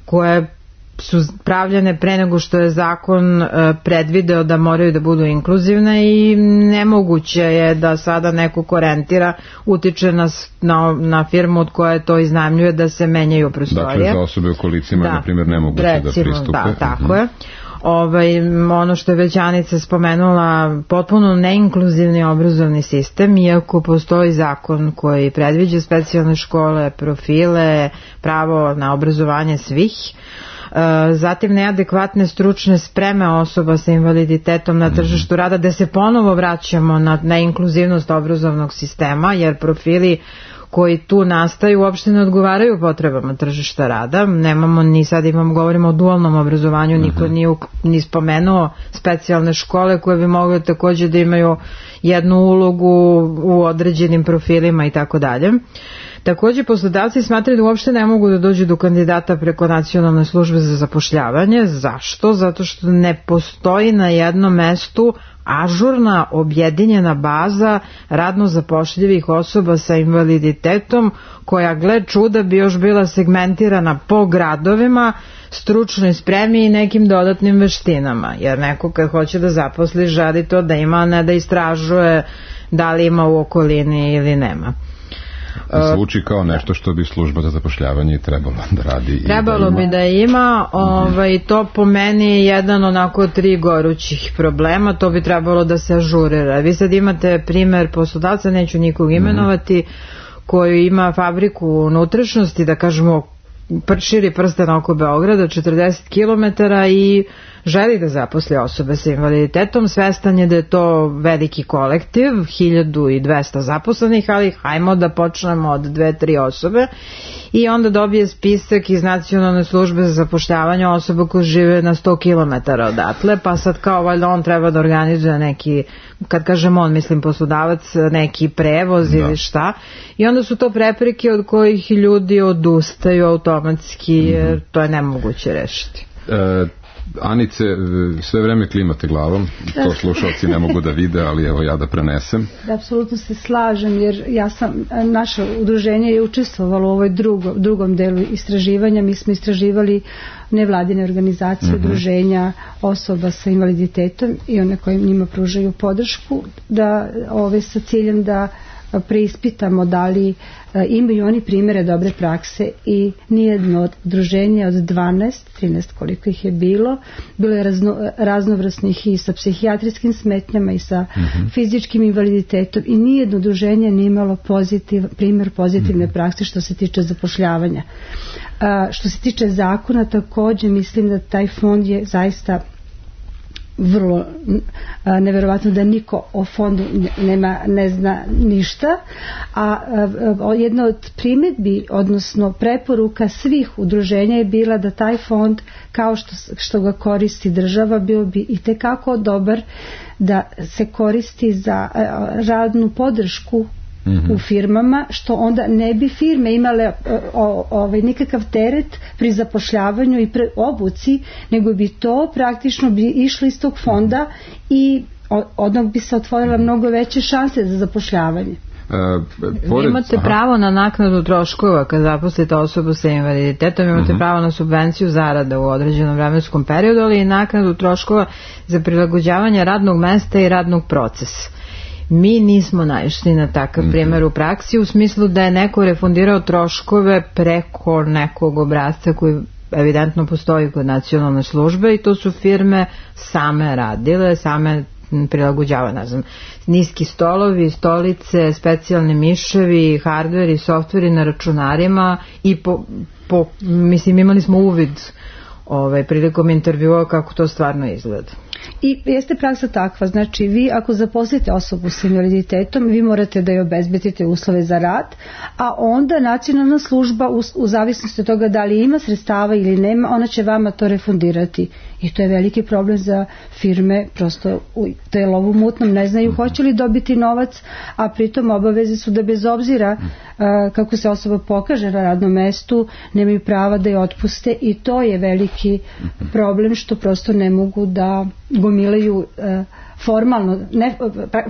koje su pravljene pre nego što je zakon predvideo da moraju da budu inkluzivne i nemoguće je da sada neko ko rentira utiče na, na, na firmu od koje to iznajmljuje da se menjaju prostorije. Dakle, za osobe u kolicima da, na primjer nemoguće recimo, da pristupe. Da, tako mm-hmm. je. Ovaj, ono što je već Anica spomenula, potpuno neinkluzivni obrazovni sistem, iako postoji zakon koji predviđa specijalne škole, profile, pravo na obrazovanje svih. Zatim neadekvatne stručne spreme osoba sa invaliditetom na tržištu rada, da se ponovo vraćamo na, na inkluzivnost obrazovnog sistema, jer profili koji tu nastaju uopšte ne odgovaraju potrebama tržišta rada. Nemamo ni sad imamo, govorimo o dualnom obrazovanju, niko nije ni spomenuo specijalne škole koje bi mogle također da imaju jednu ulogu u određenim profilima i tako dalje. Također poslodavci smatraju da uopšte ne mogu da dođu do kandidata preko nacionalne službe za zapošljavanje. Zašto? Zato što ne postoji na jednom mestu ažurna objedinjena baza radno zapošljivih osoba sa invaliditetom koja, gle čuda, bi još bila segmentirana po gradovima, stručnoj spremi i nekim dodatnim veštinama. Jer neko kad hoće da zaposli želi to da ima, ne da istražuje da li ima u okolini ili nema. Zvuči kao nešto što bi služba za zapošljavanje trebalo da radi. Trebalo bi da ima, ovaj, to po meni je jedan onako tri gorućih problema, to bi trebalo da se ažurira. Vi sad imate primer poslodavca, neću nikog imenovati, koji ima fabriku unutrašnjosti, da kažemo širi prsten oko Beograda, četrdeset kilometara, i želi da zaposli osobe sa invaliditetom, svestan je da je to veliki kolektiv, hiljadu dvesta zaposlenih, ali hajmo da počnemo od dve, tri osobe i onda dobije spisak iz Nacionalne službe za zapošljavanje osoba koje žive na sto kilometara odatle, pa sad kao valjda on treba da organizuje neki, kad kažem on, mislim poslodavac, neki prevoz da. ili šta, i onda su to prepreke od kojih ljudi odustaju automatski, jer mm-hmm. to je nemoguće rešiti. E, Anice, sve vreme klimate glavom, to slušalci ne mogu da vide, ali evo ja da prenesem. Da, apsolutno se slažem, jer ja sam, naše udruženje je učestvovalo u ovoj drugo, drugom delu istraživanja. Mi smo istraživali nevladine organizacije, mm-hmm. udruženja osoba sa invaliditetom i one koje njima pružaju podršku, da ove sa ciljem da preispitamo da li imaju oni primjere dobre prakse, i nijedno od udruženja od dvanaest, trinaest koliko ih je bilo, bilo je razno, raznovrsnih i sa psihijatrijskim smetnjama i sa mm-hmm. fizičkim invaliditetom, i nijedno udruženje nije imalo pozitiv, primjer pozitivne mm-hmm. prakse što se tiče zapošljavanja. A, što se tiče zakona, također mislim da taj fond je zaista vrlo a, neverovatno da niko o fondu nema, ne zna ništa, a, a jedna od primjedbi, odnosno preporuka svih udruženja je bila da taj fond, kao što, što ga koristi država, bio bi i tekako dobar da se koristi za a, radnu podršku Mm-hmm. u firmama, što onda ne bi firme imale o, ovaj, nikakav teret pri zapošljavanju i pre obuci, nego bi to praktično bi išlo iz tog fonda i odnog bi se otvorila mnogo veće šanse za zapošljavanje. Uh, pored, imate aha. pravo na naknadu troškova kad zaposlite osobu sa invaliditetom, imate uh-huh. pravo na subvenciju zarada u određenom vremenskom periodu, ali i naknadu troškova za prilagođavanje radnog mesta i radnog procesa. Mi nismo naišli na takav mm-hmm. primjer u praksi, u smislu da je neko refundirao troškove preko nekog obrasca koji evidentno postoji kod nacionalne službe, i to su firme same radile, same prilagođava, ne znam, niski stolovi, stolice, specijalni miševi, hardveri, softveri na računarima, i po, po, mislim imali smo uvid ovaj, prilikom intervjua kako to stvarno izgleda. I jeste praksa takva, znači vi ako zaposlite osobu s invaliditetom, vi morate da joj obezbedite uslove za rad, a onda nacionalna služba u, u zavisnosti od toga da li ima sredstava ili nema, ona će vama to refundirati, i to je veliki problem za firme, prosto to je lov u mutnom, ne znaju hoće li dobiti novac, a pritom obaveze su da bez obzira a, kako se osoba pokaže na radnom mestu, nemaju prava da je otpuste, i to je veliki problem što prosto ne mogu da gomilaju e, formalno, ne,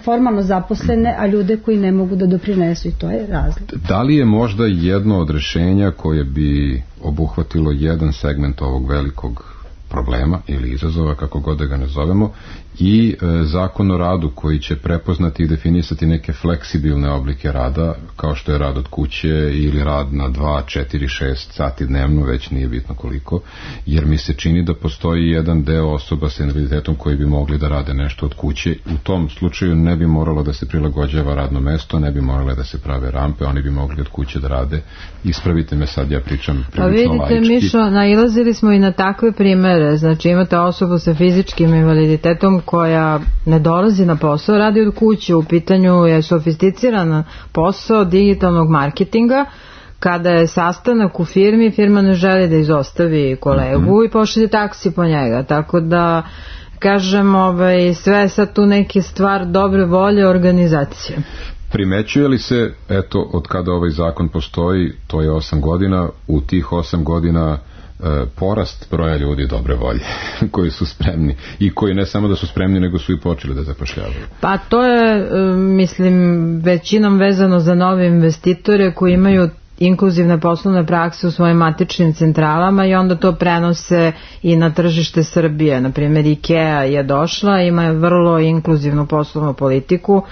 formalno zaposlene, a ljude koji ne mogu da doprinesu, i to je razlog. Da li je možda jedno od rješenja koje bi obuhvatilo jedan segment ovog velikog problema ili izazova, kako god da ga nazovemo, i e, zakon o radu koji će prepoznati i definisati neke fleksibilne oblike rada, kao što je rad od kuće ili rad na dva, četiri, šest sati dnevno, već nije bitno koliko, jer mi se čini da postoji jedan deo osoba sa invaliditetom koji bi mogli da rade nešto od kuće. U tom slučaju ne bi moralo da se prilagođava radno mesto, ne bi morale da se prave rampe, oni bi mogli od kuće da rade. Ispravite me sad, ja pričam prilično laički. Pa vidite, Mišo, nailazili smo i na takve primere, znači imate osobu sa fizičkim invaliditetom koja ne dolazi na posao, radi od kuće, u pitanju je sofisticiran posao digitalnog marketinga. Kada je sastanak u firmi, firma ne želi da izostavi kolegu mm-hmm. i pošalje taksi po njega, tako da kažem, ovaj, sve je sad tu neke stvar dobre volje organizacije. Primećuje li se, eto, od kada ovaj zakon postoji, to je osam godina, u tih osam godina e, porast broja ljudi dobre volje koji su spremni i koji ne samo da su spremni, nego su i počeli da zapošljavaju? Pa to je, mislim, većinom vezano za nove investitore koji imaju inkluzivne poslovne prakse u svojim matičnim centralama i onda to prenose i na tržište Srbije. Naprimjer, IKEA je došla, ima vrlo inkluzivnu poslovnu politiku,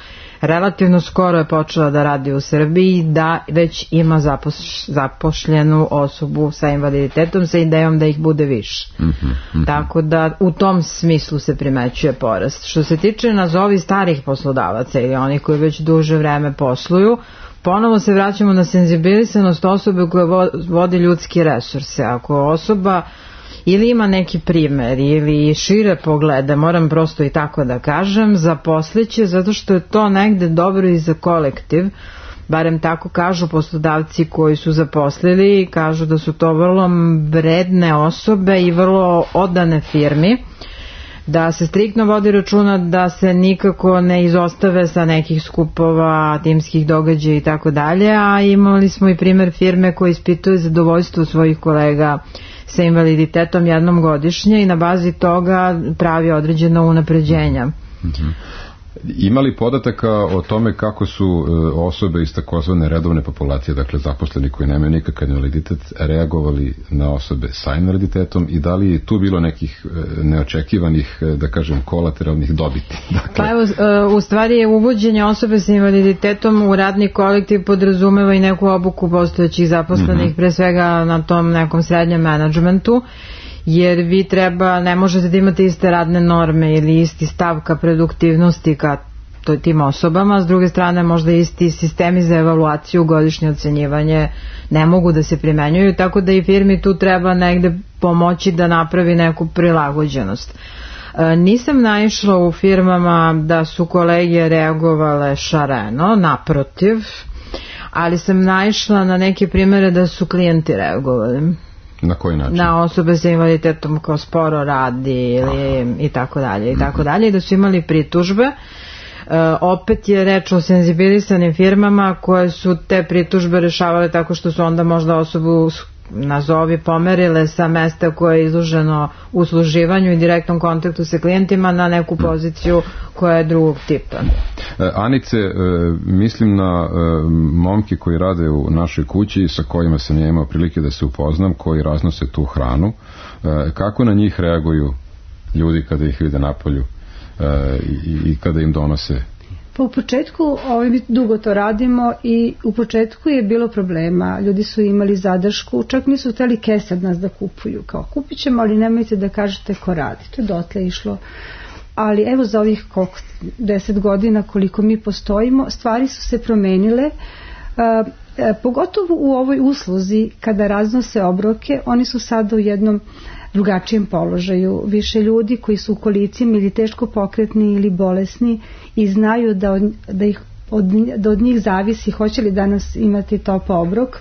relativno skoro je počela da radi u Srbiji, da već ima zapoš, zapošljenu osobu sa invaliditetom sa idejom da ih bude više. Mm-hmm, mm-hmm. Tako da u tom smislu se primećuje porast. Što se tiče nazovi starih poslodavaca ili oni koji već duže vreme posluju, ponovo se vraćamo na senzibilisanost osobe koja vodi ljudske resurse. Ako osoba ili ima neki primer ili šire poglede, moram prosto i tako da kažem, zaposliće zato što je to negde dobro i za kolektiv, barem tako kažu poslodavci koji su zaposlili i kažu da su to vrlo vredne osobe i vrlo odane firmi, da se striktno vodi računa da se nikako ne izostave sa nekih skupova, timskih događaja i tako dalje, a imali smo i primer firme koje ispituju zadovoljstvo svojih kolega sa invaliditetom jednom godišnje i na bazi toga pravi određena unapređenja. Mm-hmm. Ima li podataka o tome kako su osobe iz takozvane redovne populacije, dakle zaposleni koji nemaju nikakav invaliditet, reagovali na osobe sa invaliditetom i da li je tu bilo nekih neočekivanih, da kažem, kolateralnih dobiti? Dakle... Pa evo, u stvari je uvođenje osobe sa invaliditetom u radni kolektiv podrazumeva i neku obuku postojećih zaposlenih, mm-hmm. pre svega na tom nekom srednjem menadžmentu, jer vi treba, ne možete da imate iste radne norme ili isti stav ka produktivnosti ka tim osobama, s druge strane možda isti sistemi za evaluaciju, godišnje ocenjivanje ne mogu da se primenjuju, tako da i firmi tu treba negde pomoći da napravi neku prilagođenost. E, nisam naišla u firmama da su kolege reagovale šareno, naprotiv, ali sam naišla na neke primere da su klijenti reagovali. Na koji način? Na osobe sa invaliditetom kao sporo radi ili i tako dalje i tako dalje, da su imali pritužbe. E, opet je reč o senzibilisanim firmama koje su te pritužbe rešavale tako što su onda možda osobu nazovi pomerile sa mesta koje je izloženo usluživanju i direktnom kontaktu sa klijentima na neku poziciju koja je drugog tipa. Anice, mislim na momke koji rade u našoj kući sa kojima sam ja imao prilike da se upoznam, koji raznose tu hranu. Kako na njih reaguju ljudi kada ih vide napolju i kada im donose? Pa u početku, ovaj, mi dugo to radimo i u početku je bilo problema. Ljudi su imali zadršku, čak nisu hteli kese od nas da kupuju. Kao kupit ćemo, ali nemojte da kažete ko radi. To je dotle išlo. Ali evo za ovih koliko, deset godina koliko mi postojimo, stvari su se promenile. Uh, pogotovo u ovoj usluzi kada raznose obroke, oni su sada u jednom drugačijem položaju. Više ljudi koji su u kolicima ili teško pokretni ili bolesni i znaju da od, da ih, od, da od njih zavisi hoće li danas imati top obrok,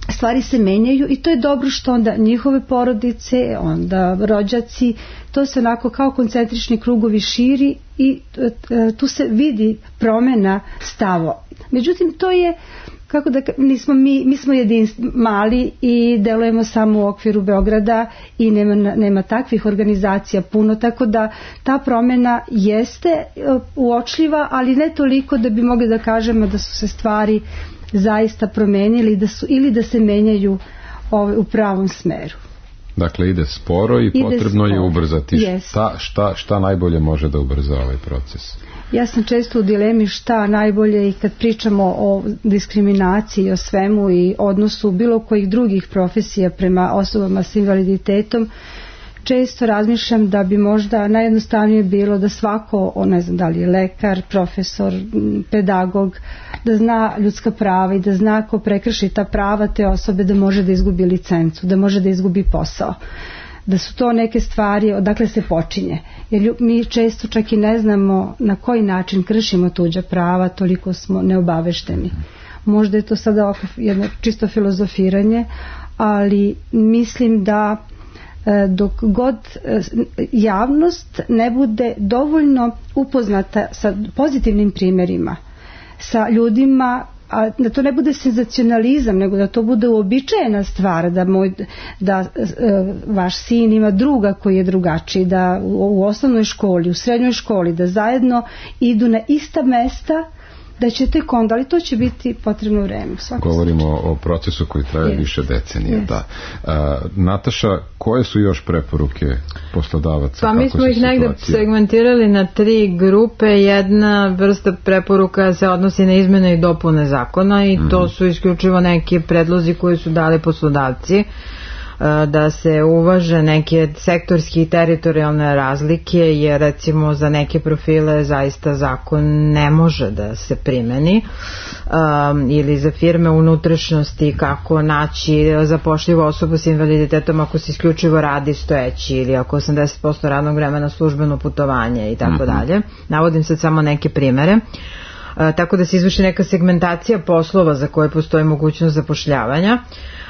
stvari se menjaju i to je dobro što onda njihove porodice, onda rođaci, to se onako kao koncentrični krugovi širi i tu se vidi promjena stavo. Međutim, to je kako da, nismo mi, mi smo jedinstv, mali i delujemo samo u okviru Beograda i nema, nema takvih organizacija puno, tako da ta promjena jeste uočljiva, ali ne toliko da bi mogli da kažemo da su se stvari zaista promenili da su, ili da se menjaju ovaj, u pravom smeru. Dakle, ide sporo i ide potrebno sporo. Je ubrzati. Yes. Šta, šta, šta najbolje može da ubrza ovaj proces? Ja sam često u dilemi šta najbolje i kad pričamo o diskriminaciji, o svemu i odnosu bilo kojih drugih profesija prema osobama s invaliditetom, često razmišljam da bi možda najjednostavnije bilo da svako, ne znam da li je lekar, profesor, pedagog, da zna ljudska prava i da zna ko prekrši ta prava te osobe da može da izgubi licencu, da može da izgubi posao. Da su to neke stvari odakle se počinje. Jer mi često čak i ne znamo na koji način kršimo tuđa prava, toliko smo neobavešteni. Možda je to sada jedno čisto filozofiranje, ali mislim da dok god javnost ne bude dovoljno upoznata sa pozitivnim primjerima, sa ljudima, a da to ne bude senzacionalizam, nego da to bude uobičajena stvar, da, moj, da e, vaš sin ima druga koji je drugačiji, da u, u osnovnoj školi, u srednjoj školi, da zajedno idu na ista mesta, da će tek onda, ali to će biti potrebno vreme. Govorimo o procesu koji traje yes. više decenija. Yes. Da. A, Nataša, koje su još preporuke poslodavaca? Pa mi smo ih negde segmentirali na tri grupe. Jedna vrsta preporuka se odnosi na izmene i dopune zakona i mm-hmm. to su isključivo neki predlozi koji su dali poslodavci. da se uvaže neke sektorske i teritorijalne razlike, jer recimo za neke profile zaista zakon ne može da se primeni, um, ili za firme unutrašnjosti kako naći zapošljivu osobu s invaliditetom ako se isključivo radi stojeći ili ako osamdeset posto radnog vremena službeno putovanje i tako dalje. Navodim sad samo neke primere. Uh, tako da se izvrši neka segmentacija poslova za koje postoji mogućnost zapošljavanja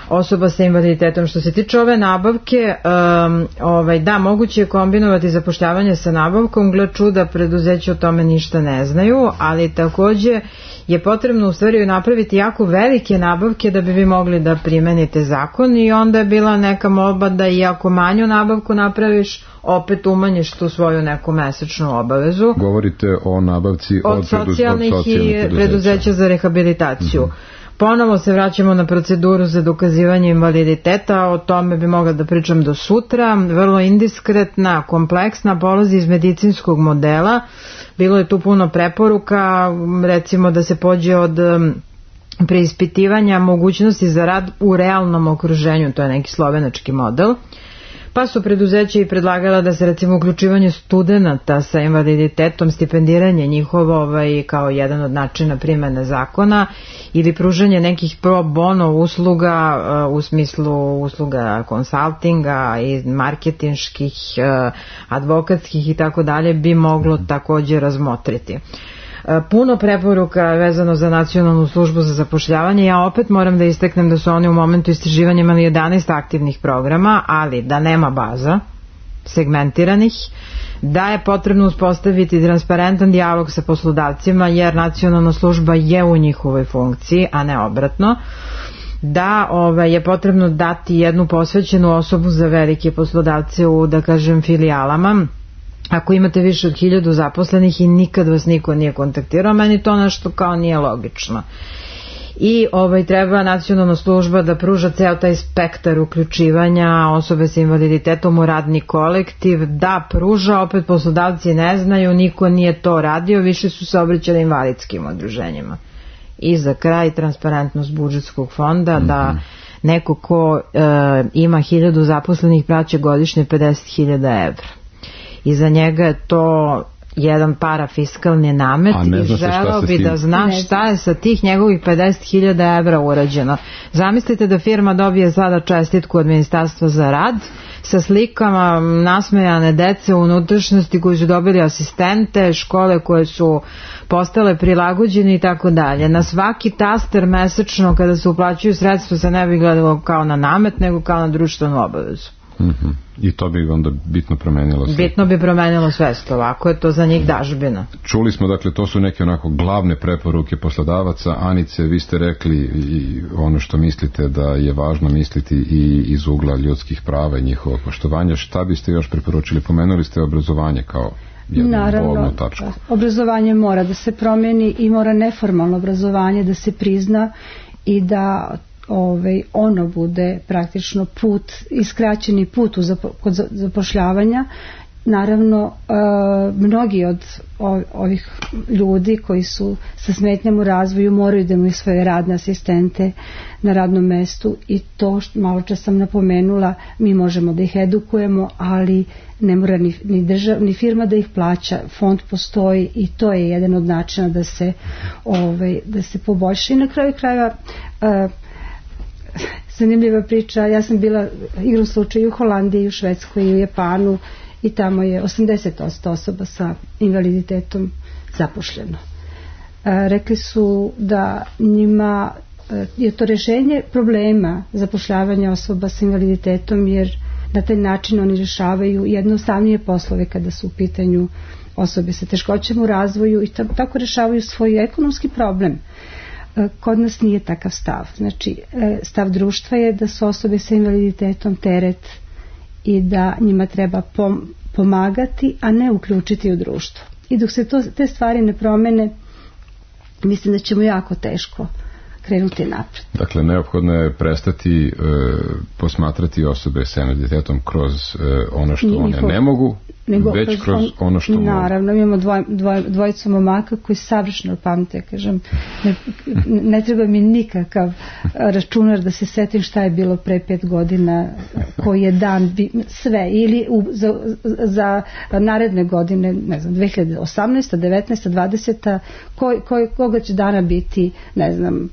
osoba sa invaliditetom. Što se tiče ove nabavke, um, ovaj, da, moguće je kombinovati zapošljavanje sa nabavkom, gle čuda, preduzeće o tome ništa ne znaju, ali takođe je potrebno u stvari napraviti jako velike nabavke da bi vi mogli da primenite zakon, i onda je bila neka molba da i ako manju nabavku napraviš, opet umanjiš tu svoju neku mesečnu obavezu. Govorite o nabavci od, od socijalnih, od socijalnih i preduzeća. preduzeća za rehabilitaciju. Mm-hmm. Ponovo se vraćamo na proceduru za dokazivanje invaliditeta, o tome bi mogla da pričam do sutra, vrlo indiskretna, kompleksna, polazi iz medicinskog modela, bilo je tu puno preporuka, recimo da se pođe od preispitivanja mogućnosti za rad u realnom okruženju, to je neki slovenački model, pa su preduzeća i predlagala da se recimo uključivanje studenata sa invaliditetom, stipendiranje njihovo ovaj, kao jedan od načina primene zakona, ili pružanje nekih pro bono usluga uh, u smislu usluga konsaltinga i marketinških, uh, advokatskih i tako dalje, bi moglo također razmotriti. Puno preporuka vezano za Nacionalnu službu za zapošljavanje. Ja opet moram da istaknem da su oni u momentu istraživanja imali jedanaest aktivnih programa, ali da nema baza segmentiranih, da je potrebno uspostaviti transparentan dijalog sa poslodavcima, jer Nacionalna služba je u njihovoj funkciji, a ne obratno, da ovaj, je potrebno dati jednu posvećenu osobu za velike poslodavce u, da kažem, filijalama. Ako imate više od hiljadu zaposlenih i nikad vas niko nije kontaktirao, meni to nešto kao nije logično. I ovaj, treba Nacionalna služba da pruža ceo taj spektar uključivanja osobe sa invaliditetom u radni kolektiv, da pruža, opet poslodavci ne znaju, niko nije to radio, više su se obraćali invalidskim udruženjima. I za kraj, transparentnost budžetskog fonda, mm-hmm. da neko ko e, ima hiljadu zaposlenih plaća godišnje pedeset hiljada evra. I za njega je to jedan parafiskalni namet i želeo bi da zna šta je sa tih njegovih pedeset hiljada evra urađeno. Zamislite da firma dobije sada čestitku od Ministarstva za rad sa slikama nasmejane dece u unutrašnjosti koji su dobili asistente, škole koje su postale prilagođene i tako dalje. Na svaki taster mesečno kada se uplaćuju sredstva se ne bi gledalo kao na namet, nego kao na društvenu obavezu. Mm-hmm. I to bi onda bitno promenilo sve. Bitno bi promenilo svest, ovako je to za njih dažbina. Čuli smo, dakle, to su neke onako glavne preporuke poslodavaca. Anice, vi ste rekli i ono što mislite da je važno misliti i iz ugla ljudskih prava i njihovog poštovanja. Šta biste još preporučili? Pomenuli ste obrazovanje kao jednu bolnu tačku. Naravno, obrazovanje mora da se promeni i mora neformalno obrazovanje da se prizna i da Ovaj, ono bude praktično put, iskraćeni put u zapo, kod zapošljavanja. Naravno, e, mnogi od ovih ljudi koji su sa smetnjama u razvoju moraju da imaju svoje radne asistente na radnom mestu, i to što malo čas sam napomenula, mi možemo da ih edukujemo, ali ne mora ni, ni, držav, ni firma da ih plaća, fond postoji i to je jedan od načina da se, ovaj, da se poboljša. I na kraju krajeva e, zanimljiva priča, ja sam bila igrom slučaju u Holandiji, u Švedskoj i u Japanu, i tamo je osamdeset posto osoba sa invaliditetom zapošljeno. E, rekli su da njima e, je to rješenje problema zapošljavanja osoba sa invaliditetom, jer na taj način oni rješavaju jednostavnije poslove kada su u pitanju osobe sa teškoćama u razvoju i tako rješavaju svoj ekonomski problem. Kod nas nije takav stav. Znači, stav društva je da su osobe sa invaliditetom teret i da njima treba pomagati, a ne uključiti u društvo. I dok se to, te stvari ne promene, mislim da ćemo jako teško krenuti napred. Dakle, neophodno je prestati e, posmatrati osobe sa invaliditetom kroz e, ono što Njihov, one ne mogu, nego već kroz, kroz on, ono što naravno, mogu. Naravno, imamo dvoj, dvoj, dvojicu momaka koji savršeno pamte, kažem, ne, ne treba mi nikakav računar da se setim šta je bilo pre pet godina, koji je dan, sve, ili u, za, za naredne godine, ne znam, dve hiljade osamnaesta, devetnaesta, dvadeseta, koj, koj, koga će dana biti, ne znam,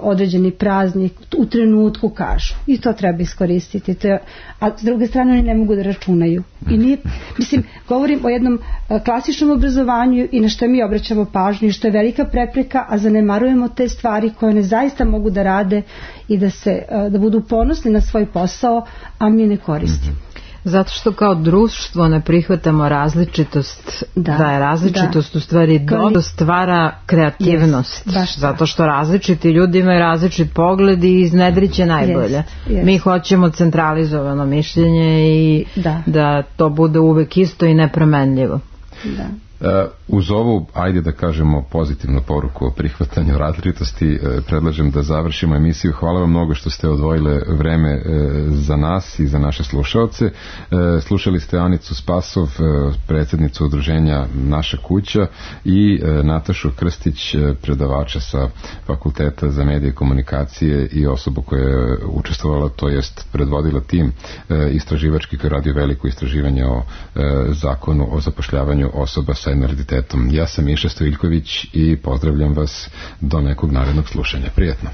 određeni praznik, u trenutku kažu. I to treba iskoristiti. To je, a s druge strane oni ne mogu da računaju. I nije, mislim, govorim o jednom klasičnom obrazovanju i na što mi obraćamo pažnju i što je velika prepreka, a zanemarujemo te stvari koje one zaista mogu da rade i da, se, da budu ponosni na svoj posao, a mi ne koristimo. Zato što kao društvo ne prihvatamo različitost, da, da je različitost da. u stvari dobro stvara kreativnost, yes, zato što različiti ljudi imaju različit pogled i iznedriće najbolje. Yes, yes. Mi hoćemo centralizovano mišljenje i da. da to bude uvek isto i nepromenljivo. Da. Uh, uz ovu, ajde da kažemo, pozitivnu poruku o prihvatanju različitosti, uh, predlažem da završimo emisiju. Hvala vam mnogo što ste odvojile vreme uh, za nas i za naše slušaoce. Uh, slušali ste Anicu Spasov, uh, predsjednicu udruženja Naša kuća, i uh, Natašu Krstić, uh, predavača sa Fakulteta za medije i komunikacije i osobu koja je učestvovala, to jest predvodila tim uh, istraživački koji radi veliko istraživanje o uh, zakonu o zapošljavanju osoba sa invaliditetom. Ja sam Miša Stojiljković i pozdravljam vas do nekog narednog slušanja. Prijetno.